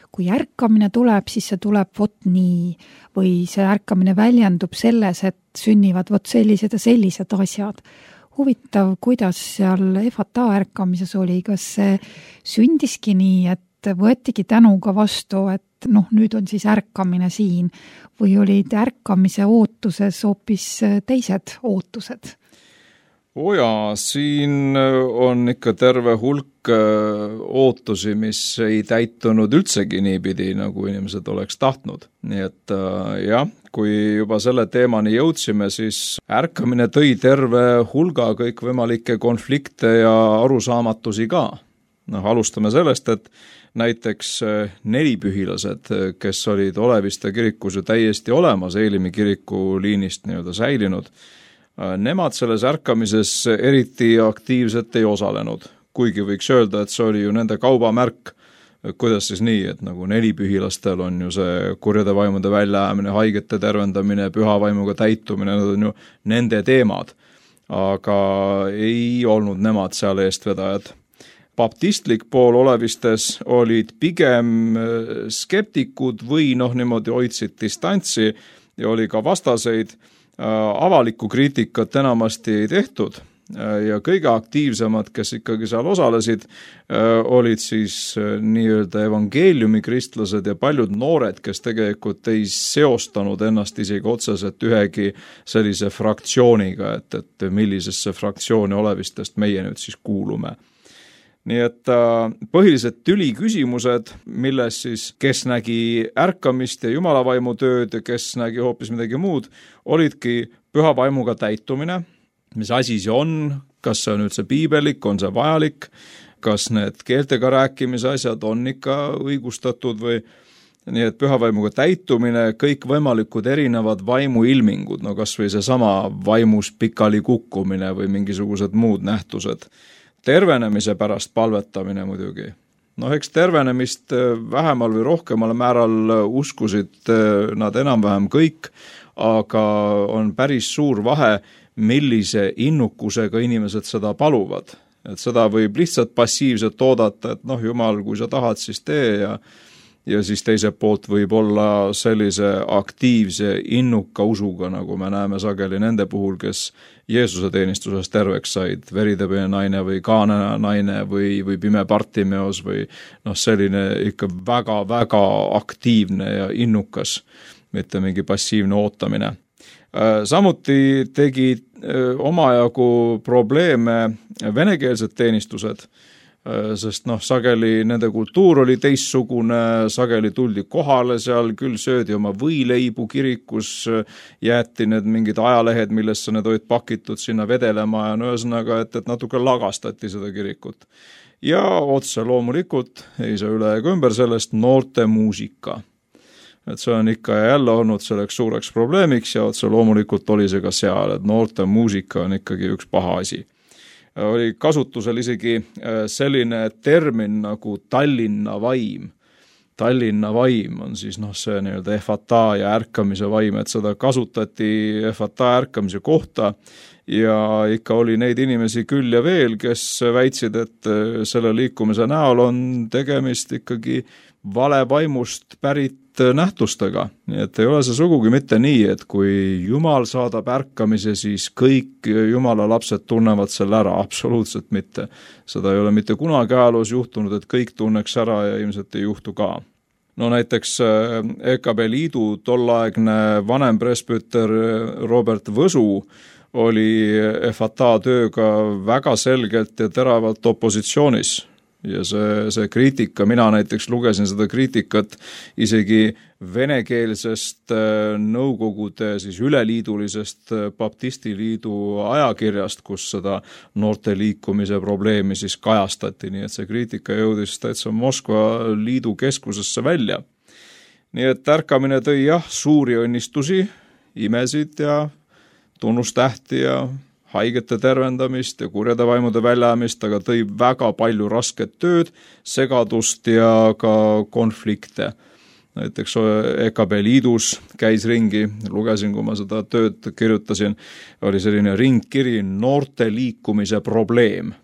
kui ärkamine tuleb, siis see tuleb vot nii või see ärkamine väljendub selles, et sünnivad vot sellised ja sellised asjad. Huvitav, kuidas seal Efata ärkamises oli, kas see sündiski nii, et võetigi tänuga vastu, et noh, nüüd on siis ärkamine siin või olid ärkamise ootuses hoopis teised ootused? oo jaa, siin on ikka terve hulk ootusi, mis ei täitunud üldsegi niipidi, nagu inimesed oleks tahtnud. Nii et jah, kui juba selle teemani jõudsime, siis ärkamine tõi terve hulga kõikvõimalikke konflikte ja arusaamatusi ka. Noh, alustame sellest, et näiteks nelipühilased, kes olid Oleviste kirikus ju täiesti olemas, Eelimi kiriku liinist nii-öelda säilinud, nemad selles ärkamises eriti aktiivselt ei osalenud, kuigi võiks öelda, et see oli ju nende kaubamärk. Kuidas siis nii, et nagu nelipühilastel on ju see kurjade vaimude väljaajamine, haigete tervendamine, püha vaimuga täitumine, need on ju nende teemad, aga ei olnud nemad seal eestvedajad. Baptistlik pool Olevistes olid pigem skeptikud või noh, niimoodi hoidsid distantsi ja oli ka vastaseid. Avalikku kriitikat enamasti ei tehtud ja kõige aktiivsemad, kes ikkagi seal osalesid, olid siis nii-öelda evangeeliumi kristlased ja paljud noored, kes tegelikult ei seostanud ennast isegi otseselt ühegi sellise fraktsiooniga, et, et millisesse fraktsiooni Olevistest meie nüüd siis kuulume. Nii et põhilised tüli küsimused, milles siis kes nägi ärkamist ja jumalavaimu tööd ja kes nägi hoopis midagi muud, olidki püha vaimuga täitumine, mis asi see on, kas see on üldse piibelik, on see vajalik, kas need keeltega rääkimise asjad on ikka õigustatud või nii, et püha vaimuga täitumine, kõik võimalikud erinevad vaimuilmingud, no kas või seesama vaimus pikali kukkumine või mingisugused muud nähtused. Tervenemise pärast palvetamine muidugi. No eks tervenemist vähemal või rohkemal määral uskusid nad enam-vähem kõik, aga on päris suur vahe, millise innukusega inimesed seda paluvad. Et seda võib lihtsalt passiivselt oodata, et noh, Jumal, kui sa tahad, siis tee ja ja siis teiselt poolt võib olla sellise aktiivse innuka usuga, nagu me näeme sageli nende puhul, kes Jeesuse teenistuses terveks said, veritõbine naine või Kaana naine või, või pime Bartimeos või noh, selline ikka väga-väga aktiivne ja innukas, mitte mingi passiivne ootamine. Samuti tegi omajagu probleeme venekeelsed teenistused, sest noh, sageli nende kultuur oli teistsugune, sageli tuldi kohale seal, küll söödi oma võileibu kirikus, jäeti need mingid ajalehed, millesse need olid pakitud sinna vedelema ja no ühesõnaga, et, et natuke lagastati seda kirikut. Ja otse loomulikult ei saa üle ega ümber sellest noorte muusika. Et see on ikka jälle olnud selleks suureks probleemiks ja otse loomulikult oli see ka seal, et noorte muusika on ikkagi üks paha asi. Oli kasutusel isegi selline termin nagu Tallinna vaim. Tallinna vaim on siis noh, see nii-öelda efata ja ärkamise vaim, et seda kasutati efata ärkamise kohta ja ikka oli neid inimesi küll ja veel, kes väitsid, et selle liikumise näol on tegemist ikkagi vale vaimust pärit nähtustega. Nii et ei ole see sugugi mitte nii, et kui Jumal saadab ärkamise, siis kõik Jumala lapsed tunnevad selle ära, absoluutselt mitte. Seda ei ole mitte kunagi ajaloos juhtunud, et kõik tunneks ära ja ilmselt ei juhtu ka. No näiteks E K B liidu tollaegne vanem presbüter Robert Võsu oli efata tööga väga selgelt ja teravalt opositsioonis. Ja see, see kriitika, mina näiteks lugesin seda kriitikat isegi venekeelsest nõukogude siis üleliidulisest baptistiliidu ajakirjast, kus seda noorte liikumise probleemi siis kajastati, nii et see kriitika jõudis täitsa Moskva liidu keskusesse välja. Nii et ärkamine tõi jah suuri õnnistusi, imesid ja tunnustähti ja haigete tervendamist ja kurjade vaimude väljaajamist, aga tõi väga palju rasket tööd, segadust ja ka konflikte. Näiteks E K B liidus käis ringi, lugesin, kui ma seda tööd kirjutasin, oli selline ringkiri noorte liikumise probleem.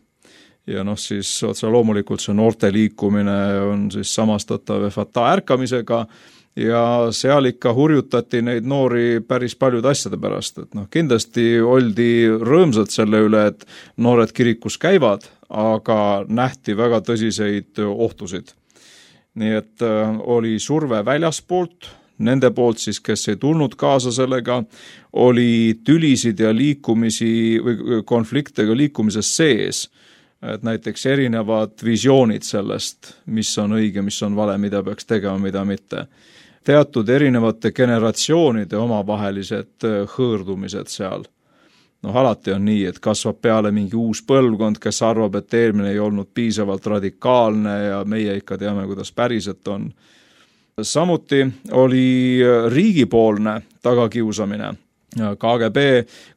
Ja noh, siis otse loomulikult see noorte liikumine on siis samastatav efata ärkamisega, ja seal ikka hurjutati neid noori päris paljud asjade pärast, et noh, kindlasti oldi rõõmsad selle üle, et noored kirikus käivad, aga nähti väga tõsiseid ohtusid. Nii et oli surve väljaspoolt, nende poolt siis, kes ei tulnud kaasa sellega, oli tülisid ja liikumisi või konflikte ka liikumises sees. Et näiteks erinevad visioonid sellest, mis on õige, mis on vale, mida peaks tegema, mida mitte. Teatud erinevate generatsioonide omavahelised hõõrdumised seal. Noh, alati on nii, et kasvab peale mingi uus põlvkond, kes arvab, et eelmine ei olnud piisavalt radikaalne ja meie ikka teame, kuidas päriselt on. Samuti oli riigipoolne tagakiusamine. K G B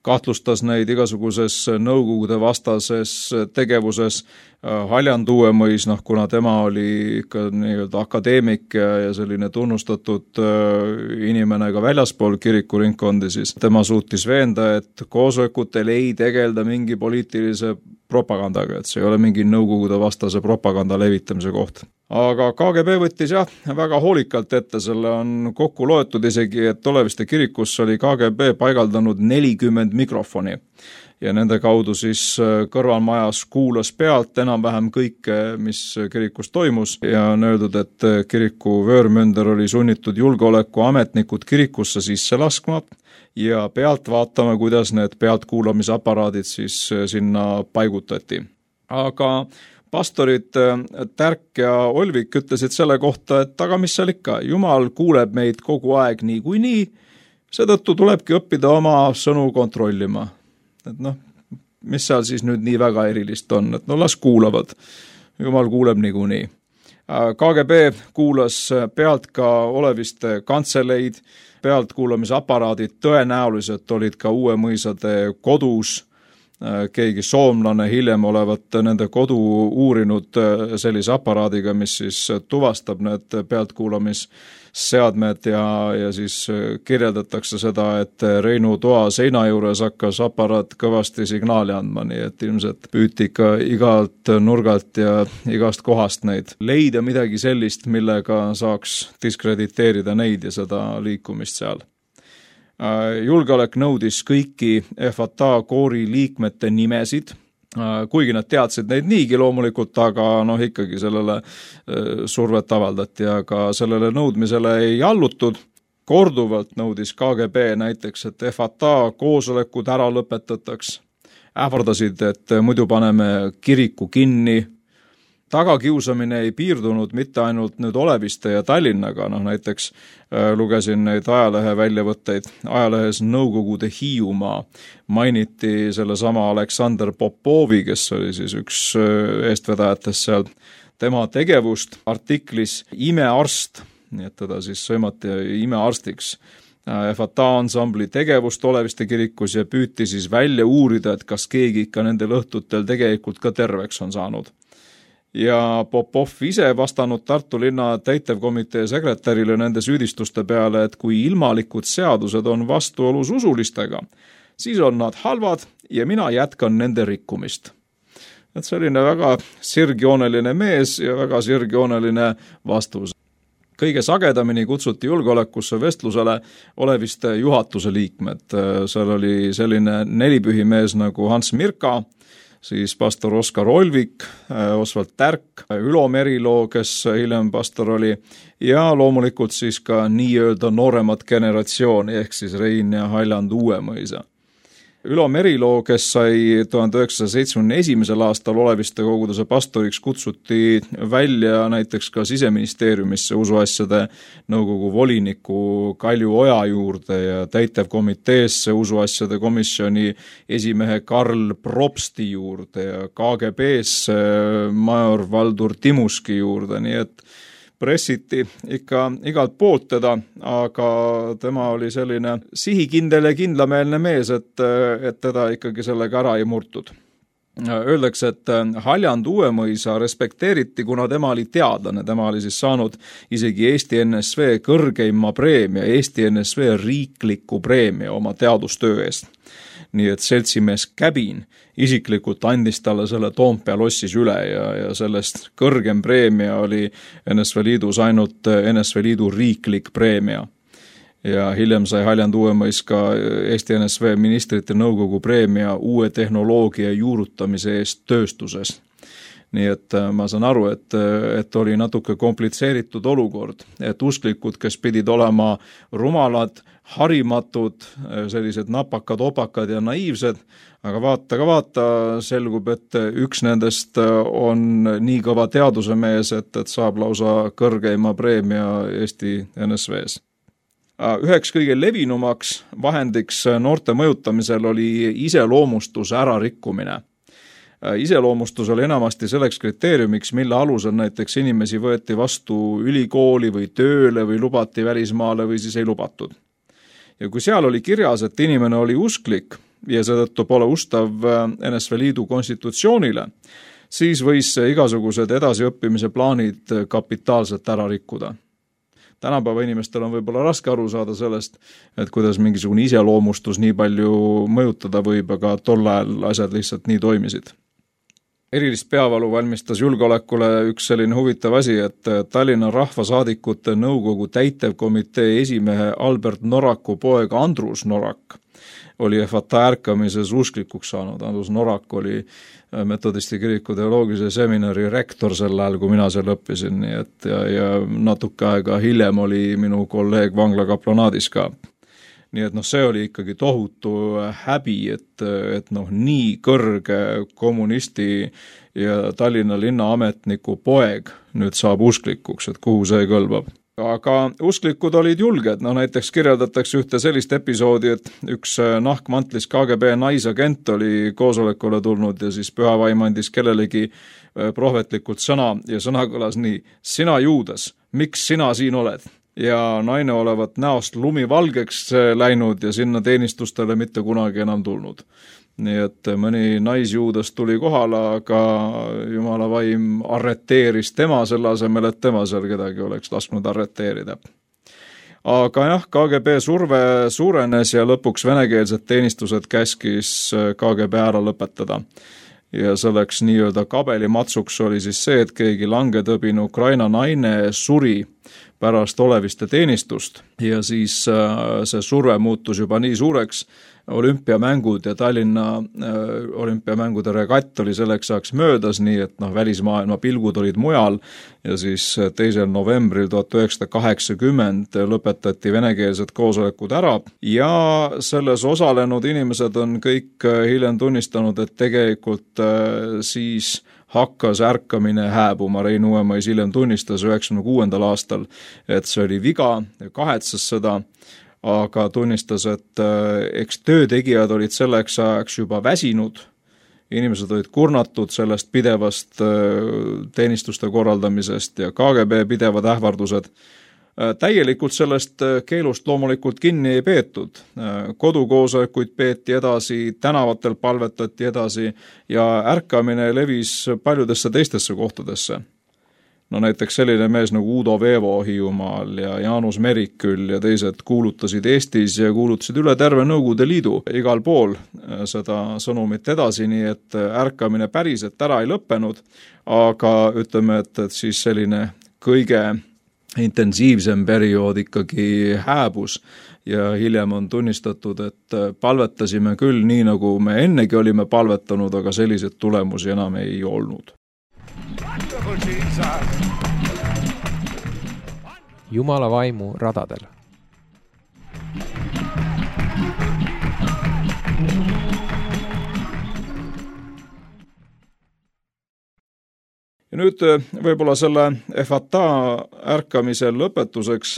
kahtlustas neid igasuguses nõukogude vastases tegevuses. Haljand Uuemõis, noh, kuna tema oli ikka nii-öelda akadeemik ja, ja selline tunnustatud inimene ka väljaspool kirikuringkondi, siis tema suutis veenda, et koosolekutel ei tegelda mingi poliitilise propagandaga, et see ei ole mingi nõukogude vastase propaganda levitamise koht. Aga K G B võttis jah väga hoolikalt ette, selle on kokku loetud isegi, et Oleviste kirikus oli K G B paigaldanud nelikümmend mikrofoni ja nende kaudu siis kõrvalmajas kuulas pealt enam-vähem kõike, mis kirikus toimus ja on öeldud, et kiriku vöörmünder oli sunnitud julgeolekuametnikud kirikusse sisse laskma ja pealt vaatama, kuidas need pealtkuulamisaparaadid siis sinna paigutati. Aga pastorid Tärk ja Olvik ütlesid selle kohta, et aga mis seal ikka, Jumal kuuleb meid kogu aeg nii kui nii, seetõttu tulebki õppida oma sõnu kontrollima. Et noh, mis seal siis nüüd nii väga erilist on, et no las kuulavad, Jumal kuuleb nii kui nii. K G B kuulas pealt ka Oleviste kantseleid, pealtkuulamisaparaadid tõenäoliselt olid ka Uuemõisade kodus, keegi soomlane hiljem olevat nende kodu uurinud sellise aparaadiga, mis siis tuvastab need pealtkuulamisseadmed ja, ja siis kirjeldatakse seda, et Reinu toa seina juures hakkas aparaat kõvasti signaali andma, nii et ilmselt püüti ikka igalt nurgalt ja igast kohast neid leida midagi sellist, millega saaks diskrediteerida neid ja seda liikumist seal. Julgeolek nõudis kõiki F A T A koori liikmete nimesid, kuigi nad teadsid neid niigi loomulikult, aga noh ikkagi sellele survet avaldati, aga sellele nõudmisele ei allutud. Korduvalt nõudis K G B näiteks, et F A T A koosolekud ära lõpetataks. Ähvardasid, et muidu paneme kiriku kinni. Tagakiusamine ei piirdunud mitte ainult nüüd Oleviste ja Tallinnaga, noh näiteks lugesin neid ajalehe väljavõtteid. Ajalehes Nõukogude Hiiumaa mainiti selle sama Aleksander Popovi, kes oli siis üks eestvedajatest seal, tema tegevust artiklis Imearst, nii et teda siis sõimati imearstiks. F A T A ansambli tegevust Oleviste kirikus ja püüti siis välja uurida, et kas keegi ikka nendel õhtutel tegelikult ka terveks on saanud. Ja Popov ise vastanud Tartu linna täitevkomitee sekretärile nende süüdistuste peale, et kui ilmalikud seadused on vastuolus usulistega, siis on nad halvad ja mina jätkan nende rikkumist. Et selline väga sirgjooneline mees ja väga sirgjooneline vastus. Kõige sagedamini kutsuti julgeolekusse vestlusele Oleviste juhatuse liikmed. Seal oli selline nelipühimees nagu Hans Mirka, siis pastor Oskar Olvik, Osvald Tärk, Ülo Meriloo, kes hiljem pastor oli, ja loomulikult siis ka nii-öelda nooremat generatsiooni, ehk siis Rein ja Haljand Uuemõisa. Ülo Meriloo, kes sai tuhande üheksasaja seitsmekümne esimesel aastal Oleviste koguduse pastoriks, kutsuti välja näiteks ka Siseministeeriumisse usuasjade nõukogu voliniku Kalju Oja juurde ja täitevkomiteesse usuasjade komisjoni esimehe Karl Propsti juurde ja K G B-sse major Valdur Timuski juurde, nii et pressiti ikka igalt poolt teda, aga tema oli selline sihikindel ja kindlameelne mees, et, et teda ikkagi sellega ära ei murtud. Öeldakse, et Haljand Uuemõisa respekteeriti, kuna tema oli teadlane, tema oli siis saanud isegi Eesti N S V kõrgeima preemia, Eesti N S V riikliku preemia oma teadustöö eest. Nii et seltsimees Käbin isiklikult andis talle selle Toompea lossis üle ja, ja sellest kõrgem preemia oli N S V Liidus ainult N S V Liidu riiklik preemia. Ja hiljem sai Haljand Uuemõis ka Eesti N S V ministrite nõukogu preemia uue tehnoloogia juurutamise eest tööstuses. nii et ma saan aru, et, et oli natuke komplitseeritud olukord, et usklikud, kes pidid olema rumalad, harimatud, sellised napakad, opakad ja naiivsed, aga vaata ka vaata, selgub, et üks nendest on nii kõva teadusemees, et, et saab lausa kõrgeima preemia Eesti N S V-s. Üheks kõige levinumaks vahendiks noorte mõjutamisel oli iseloomustuse ärarikkumine. Iseloomustus oli enamasti selleks kriteeriumiks, mille alusel näiteks inimesi võeti vastu ülikooli või tööle või lubati välismaale või siis ei lubatud. Ja kui seal oli kirjas, et inimene oli usklik ja seetõttu pole ustav N S V Liidu konstitutsioonile, siis võis igasugused edasiõppimise plaanid kapitaalselt ära rikkuda. Tänapäeva inimestel on võib-olla raske aru saada sellest, et kuidas mingisugune iseloomustus nii palju mõjutada võib, aga tol ajal asjad lihtsalt nii toimisid. Erilist peavalu valmistas julgeolekule üks selline huvitav asi, et Tallinna Rahvasaadikute Nõukogu täitevkomitee esimehe Albert Noraku poeg Andrus Norak oli F A T ärkamises usklikuks saanud. Andrus Norak oli metodisti kiriku teoloogilise seminari rektor sel ajal, kui mina seal õppisin, nii et ja, ja natuke aega hiljem oli minu kolleeg vanglakaplanaadis ka. Nii et noh, see oli ikkagi tohutu häbi, et, et noh, nii kõrge kommunisti ja Tallinna linnaametniku poeg nüüd saab usklikuks, et kuhu see kõlbab. Aga usklikud olid julged, no näiteks kirjeldatakse ühte sellist episoodi, et üks nahkmantlis K G B naisagent oli koosolekule tulnud ja siis püha vaim andis kellelegi prohvetlikult sõna ja sõna kõlas nii: sina Juudas, miks sina siin oled? Ja naine olevat näost lumi valgeks läinud ja sinna teenistustele mitte kunagi enam tulnud. Nii et mõni naisjuudas tuli kohale, aga Jumala vaim arreteeris tema selle asemel, et tema seal kedagi oleks lasknud arreteerida. Aga jah, K G B surve suurenes ja lõpuks venekeelsed teenistused käskis K G B ära lõpetada. Ja selleks nii-öelda kabelimatsuks oli siis see, et keegi langetõbine Ukraina naine suri pärast oleviste teenistust ja siis see surve muutus juba nii suureks, olümpiamängud ja Tallinna olümpiamängude regatt oli selleks ajaks möödas, nii et noh, välismaailma pilgud olid mujal ja siis teisel novembril tuhat üheksasada kaheksakümmend lõpetati venekeelsed koosolekud ära ja selles osalenud inimesed on kõik hiljem tunnistanud, et tegelikult siis hakkas ärkamine hääbuma. Rein Uuemais hiljem tunnistas üheksakümne kuuendal aastal, et see oli viga ja kahetsas seda, aga tunnistas, et eks töötegijad olid selleks ajaks juba väsinud, inimesed olid kurnatud sellest pidevast teenistuste korraldamisest ja K G B pidevad ähvardused. Täielikult sellest keelust loomulikult kinni ei peetud. Kodukoosolekuid peeti edasi, tänavatel palvetati edasi ja ärkamine levis paljudesse teistesse kohtadesse. No näiteks selline mees nagu Udo Veevo Hiiumaal ja Jaanus Meriküll ja teised kuulutasid Eestis ja kuulutasid üle terve Nõukogude Liidu igal pool seda sõnumit edasi, nii et ärkamine päriselt ära ei lõppenud, aga ütleme, et, et siis selline kõige intensiivsem periood ikkagi hääbus ja hiljem on tunnistatud, et palvetasime küll nii, nagu me ennegi olime palvetanud, aga sellised tulemusi enam ei olnud. Jumala vaimu radadel. Ja nüüd võib-olla selle F A T ärkamise lõpetuseks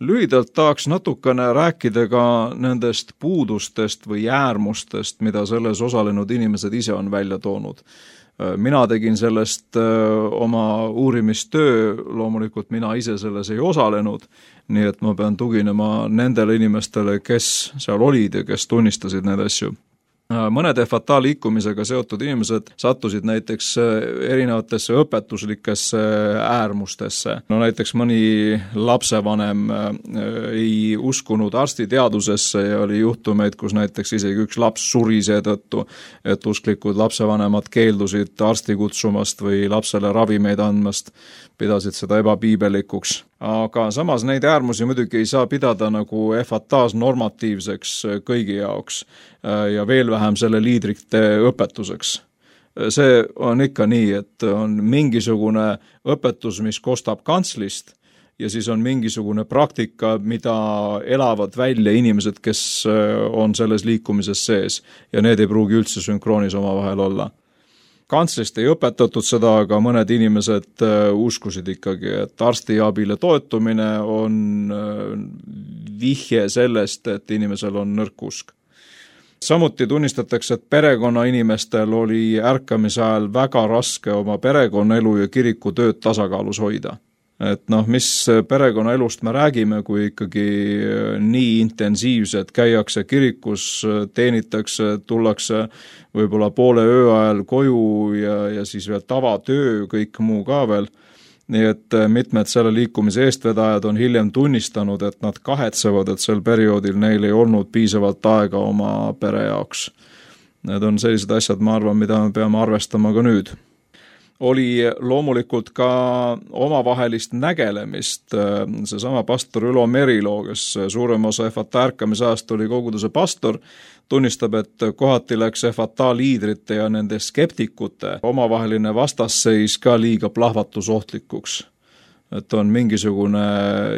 lühidalt tahaks natukene rääkida ka nendest puudustest või äärmustest, mida selles osalenud inimesed ise on välja toonud. Mina tegin sellest oma uurimistöö, loomulikult mina ise selles ei osalenud, nii et ma pean tuginema nendele inimestele, kes seal olid ja kes tunnistasid need asju. Mõned F A T liikumisega seotud inimesed sattusid näiteks erinevatesse õpetuslikesse äärmustesse. No näiteks mõni lapsevanem ei uskunud arstiteadusesse ja oli juhtumeid, kus näiteks isegi üks laps suri seetõttu, et usklikud lapsevanemad keeldusid arsti kutsumast või lapsele ravimeid andmast, pidasid seda ebapiibelikuks. Aga samas neid äärmusi muidugi ei saa pidada nagu F A T-s normatiivseks kõigi jaoks ja veel vähem selle liidrite õpetuseks. see on ikka nii, et on mingisugune õpetus, mis kostab kantslist ja siis on mingisugune praktika, mida elavad välja inimesed, kes on selles liikumises sees ja need ei pruugi üldse sünkroonis omavahel olla. Kantslist ei õpetatud seda, aga mõned inimesed uskusid ikkagi, et arstiabile toetumine on vihje sellest, et inimesel on nõrk usk. Samuti tunnistatakse, et perekonna inimestel oli ärkamise ajal väga raske oma perekonnaelu ja kiriku tööd tasakaalus hoida. Et noh, mis perekonnaelust me räägime, kui ikkagi nii intensiivselt käiakse kirikus, teenitakse, tullakse võib-olla poole öö ajal koju ja, ja siis veel tavatöö, kõik muu ka veel. Nii et mitmed selle liikumise eestvedajad on hiljem tunnistanud, et nad kahetsevad, et sel perioodil neil ei olnud piisavalt aega oma pere jaoks. Need on sellised asjad, ma arvan, mida me peame arvestama ka nüüd. Oli loomulikult ka omavahelist nägelemist. Seesama pastor Ülo Meriloo, kes suurem osa F A T ärkamise ajast oli koguduse pastor, tunnistab, et kohati läks F A T liidrite ja nende skeptikute omavaheline vastasseis ka liiga plahvatusohtlikuks. Et on mingisugune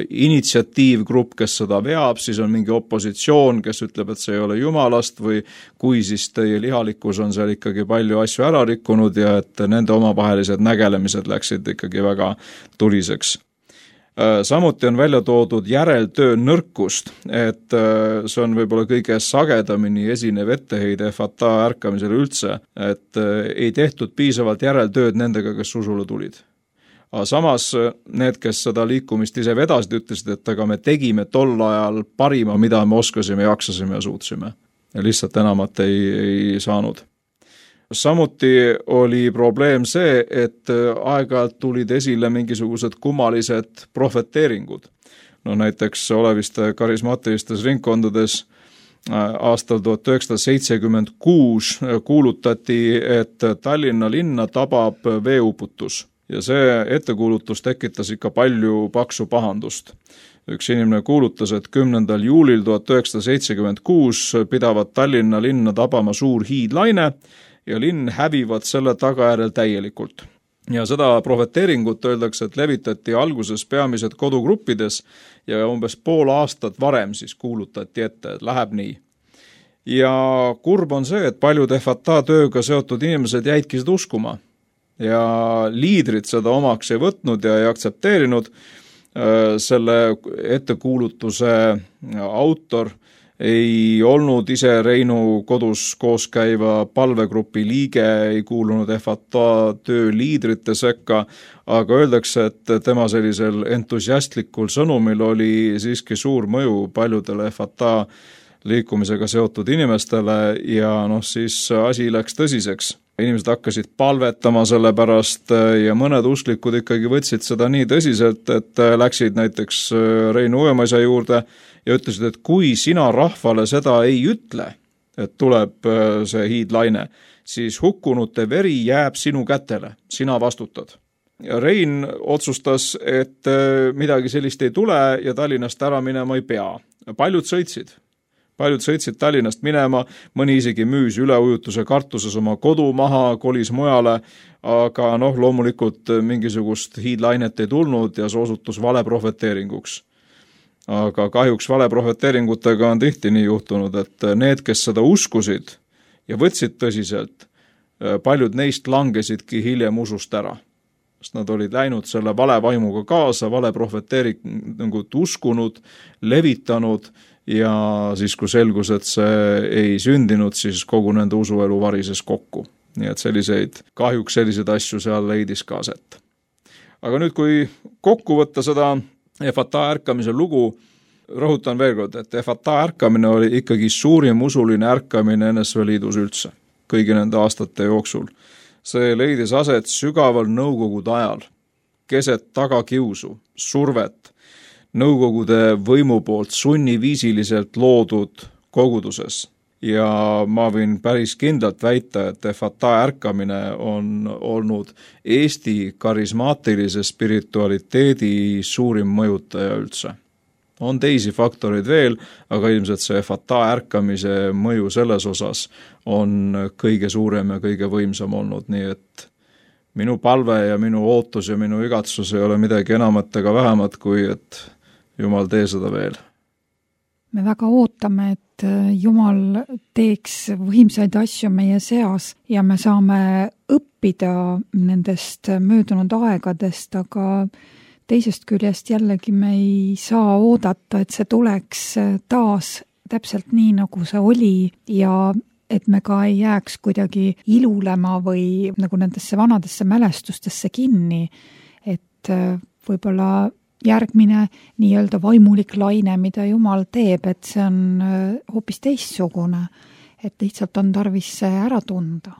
initsiatiivgrupp, kes seda veab, siis on mingi opositsioon, kes ütleb, et see ei ole jumalast või kui siis teie lihalikkus on seal ikkagi palju asju ära rikkunud ja et nende omavahelised nägelemised läksid ikkagi väga tuliseks. Samuti on välja toodud järeltöö nõrkust, et see on võib-olla kõige sagedamini esinev etteheide F A T ärkamisele üldse, et ei tehtud piisavalt järeltööd nendega, kes usule tulid. Aga samas need, kes seda liikumist ise vedasid, ütlesid, et aga me tegime tol ajal parima, mida me oskasime, jaksasime ja suutsime. Ja lihtsalt enamat ei, ei saanud. Samuti oli probleem see, et aeg-ajalt tulid esile mingisugused kummalised profeteeringud. No näiteks oleviste karismaatilistes ringkondades aastal tuhat üheksasada seitsekümmend kuus kuulutati, et Tallinna linna tabab veeuputus. Ja see ettekuulutus tekitas ikka palju paksu pahandust. Üks inimene kuulutas, et kümnendal juulil tuhat üheksasada seitsekümmend kuus pidavat Tallinna linna tabama suur hiidlaine ja linn hävivad selle tagajärjel täielikult. Ja seda profeteeringut öeldakse, et levitati alguses peamised kodugruppides ja umbes pool aastat varem siis kuulutati ette, et läheb nii. Ja kurb on see, et paljud F A T tööga seotud inimesed jäidki seda uskuma. Ja liidrid seda omaks ei võtnud ja ei aktsepteerinud. Selle ettekuulutuse autor ei olnud ise Reinu kodus koos käiva palvegrupi liige, ei kuulunud F A T töö liidrite sekka, aga öeldakse, et tema sellisel entusiastlikul sõnumil oli siiski suur mõju paljudele F A T liikumisega seotud inimestele ja noh, siis asi läks tõsiseks. Inimesed hakkasid palvetama selle pärast ja mõned usklikud ikkagi võtsid seda nii tõsiselt, et läksid näiteks Reinu Uemaisa juurde ja ütlesid, et kui sina rahvale seda ei ütle, et tuleb see hiidlaine, siis hukkunute veri jääb sinu kätele, sina vastutad. Ja Rein otsustas, et midagi sellist ei tule ja Tallinnast ära minema ei pea. Paljud sõitsid. Paljud sõitsid Tallinnast minema, mõni isegi müüs üleujutuse kartuses oma kodu maha, kolis mujale, aga noh, loomulikult mingisugust hiidlainet ei tulnud ja see osutus vale profeteeringuks. Aga kahjuks vale profeteeringutega on tihti nii juhtunud, et need, kes seda uskusid ja võtsid tõsiselt, paljud neist langesidki hiljem usust ära. Sest nad olid läinud selle vale vaimuga kaasa, vale profeteeringut uskunud, levitanud ja siis kui selgus, et see ei sündinud, siis kogu nende usuelu varises kokku. Nii et selliseid, kahjuks selliseid asju seal leidis ka aset. Aga nüüd, kui kokku võtta seda F A T ärkamise lugu, rõhutan veel kord, et F A T ärkamine oli ikkagi suurim usuline ärkamine N S V Liidus üldse, kõigi nende aastate jooksul. See leidis aset sügaval nõukogude ajal, keset tagakiusu, survet, nõukogude võimu poolt sunniviisiliselt loodud koguduses. Ja ma võin päris kindlalt väita, et F A T ärkamine on olnud Eesti karismaatilise spiritualiteedi suurim mõjutaja üldse. on teisi faktoreid veel, aga ilmselt see fata ärkamise mõju selles osas on kõige suurem ja kõige võimsam olnud, nii et minu palve ja minu ootus ja minu igatsus ei ole midagi enamat ega vähemat, kui et Jumal tee seda veel. Me väga ootame, et Jumal teeks võimsaid asju meie seas ja me saame õppida nendest möödunud aegadest, aga teisest küljest jällegi me ei saa oodata, et see tuleks taas täpselt nii, nagu see oli ja et me ka ei jääks kuidagi ilulema või nagu nendesse vanadesse mälestustesse kinni, et võib-olla järgmine nii-öelda vaimulik laine, mida Jumal teeb, et see on hoopis teistsugune, et lihtsalt on tarvis see ära tunda.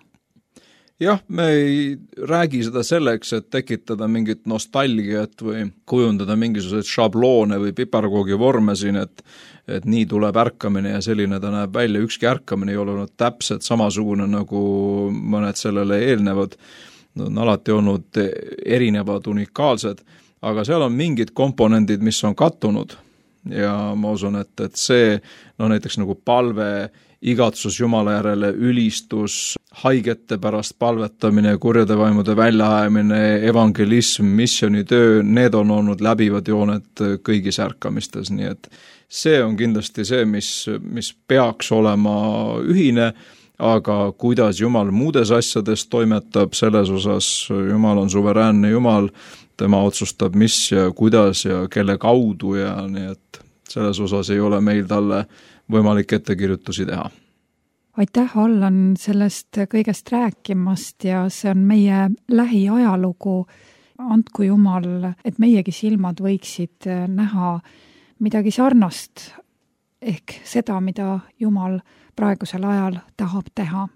Jah, me ei räägi seda selleks, et tekitada mingit nostalgiat või kujundada mingisuguseid šabloone või piparkoogi vorme siin, et, et nii tuleb ärkamine ja selline ta näeb välja. Ükski ärkamine ei ole olnud täpselt samasugune nagu mõned sellele eelnevad. Nad on alati olnud erinevad, unikaalsed, aga seal on mingid komponendid, mis on kattunud ja ma usun, et, et see, no näiteks nagu palve, igatsus Jumala järele, ülistus, haigete pärast palvetamine, kurjade vaimude väljaajamine, evangelism, missionitöö, need on olnud läbivad jooned kõigis ärkamistes, nii et see on kindlasti see, mis, mis peaks olema ühine, aga kuidas Jumal muudes asjades toimetab, selles osas Jumal on suveräänne Jumal, tema otsustab, mis ja kuidas ja kelle kaudu ja nii et selles osas ei ole meil talle võimalik ettekirjutusi teha. Aitäh, Allan, sellest kõigest rääkimast ja see on meie lähiajalugu. Andku Jumal, et meiegi silmad võiksid näha midagi sarnast, ehk seda, mida Jumal praegusel ajal tahab teha.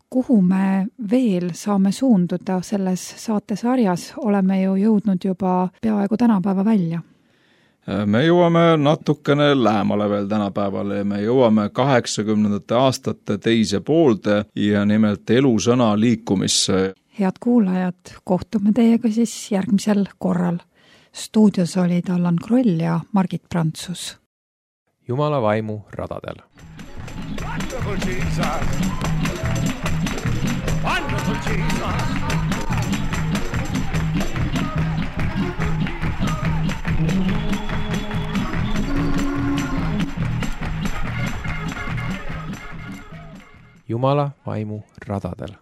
Kuhu me veel saame suunduda selles saatesarjas, oleme ju jõudnud juba peaaegu tänapäeva välja. Me jõuame natukene lähemale veel tänapäevale ja me jõuame kaheksakümnendate aastate teise poolde ja nimelt elusõna liikumisse. Head kuulajad, kohtume teiega siis järgmisel korral. Stuudios olid Allan Kroll ja Margit Prantsus. Jumala vaimu radadel. Wonderful Jesus. Wonderful Jesus. Jumala vaimu radadel.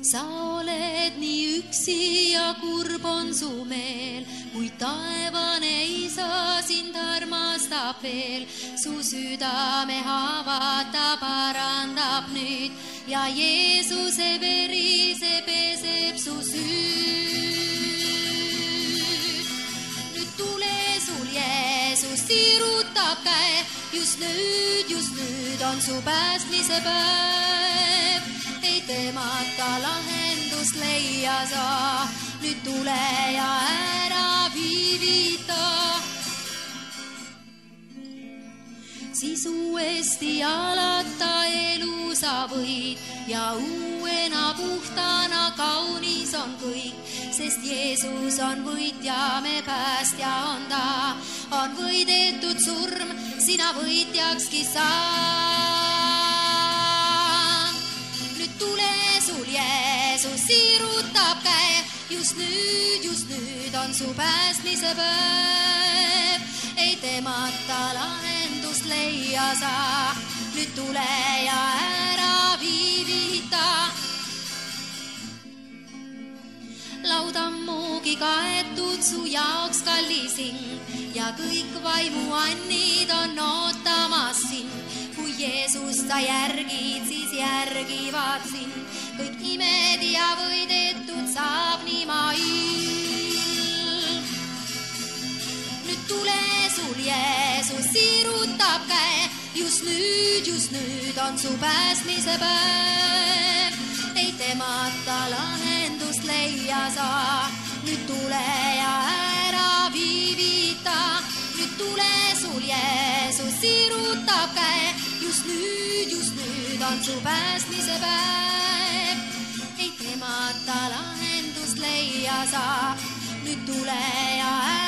Sa oled nii üksi ja kurb on su meel, kui taevane isa sind armastab veel. Su südame haavad ta parandab nüüd ja Jeesuse veri see peseb su süüd. Nüüd tule sul Jeesus sirutab käe, just nüüd, just nüüd on su päästmise päev. Ei temata lahendust leia saa, nüüd tule ja ära viivita. Siis uuesti alata elu sa võid ja uuena puhtana kaunis on kõik, sest Jeesus on võitja, me päästja on ta, on võidetud surm, sina võitjakski saa. Nüüd tule sul Jeesus sirutab käe, just nüüd, just nüüd on su päästmise päev. Ei temata lahendust leia saa, nüüd tule ja ära viivita. Laudammugi kaetud su jaoks kallisin ja kõik vaimuannid on ootamas sind. Kui Jeesus sa järgid, siis järgivad sind. Kõik imed ja võidetud saab nii mail. Nüüd tule sul Jeesus sirutab käe, just nüüd, just nüüd on su päästmise päev. Ei temata lahendust leia saa, nüüd tule ja ära viivita. Nüüd tule sul Jeesus sirutab käe, just nüüd just nüüd on su päästmise päev. Ei temata lahendust leia sa, nüüd tule ja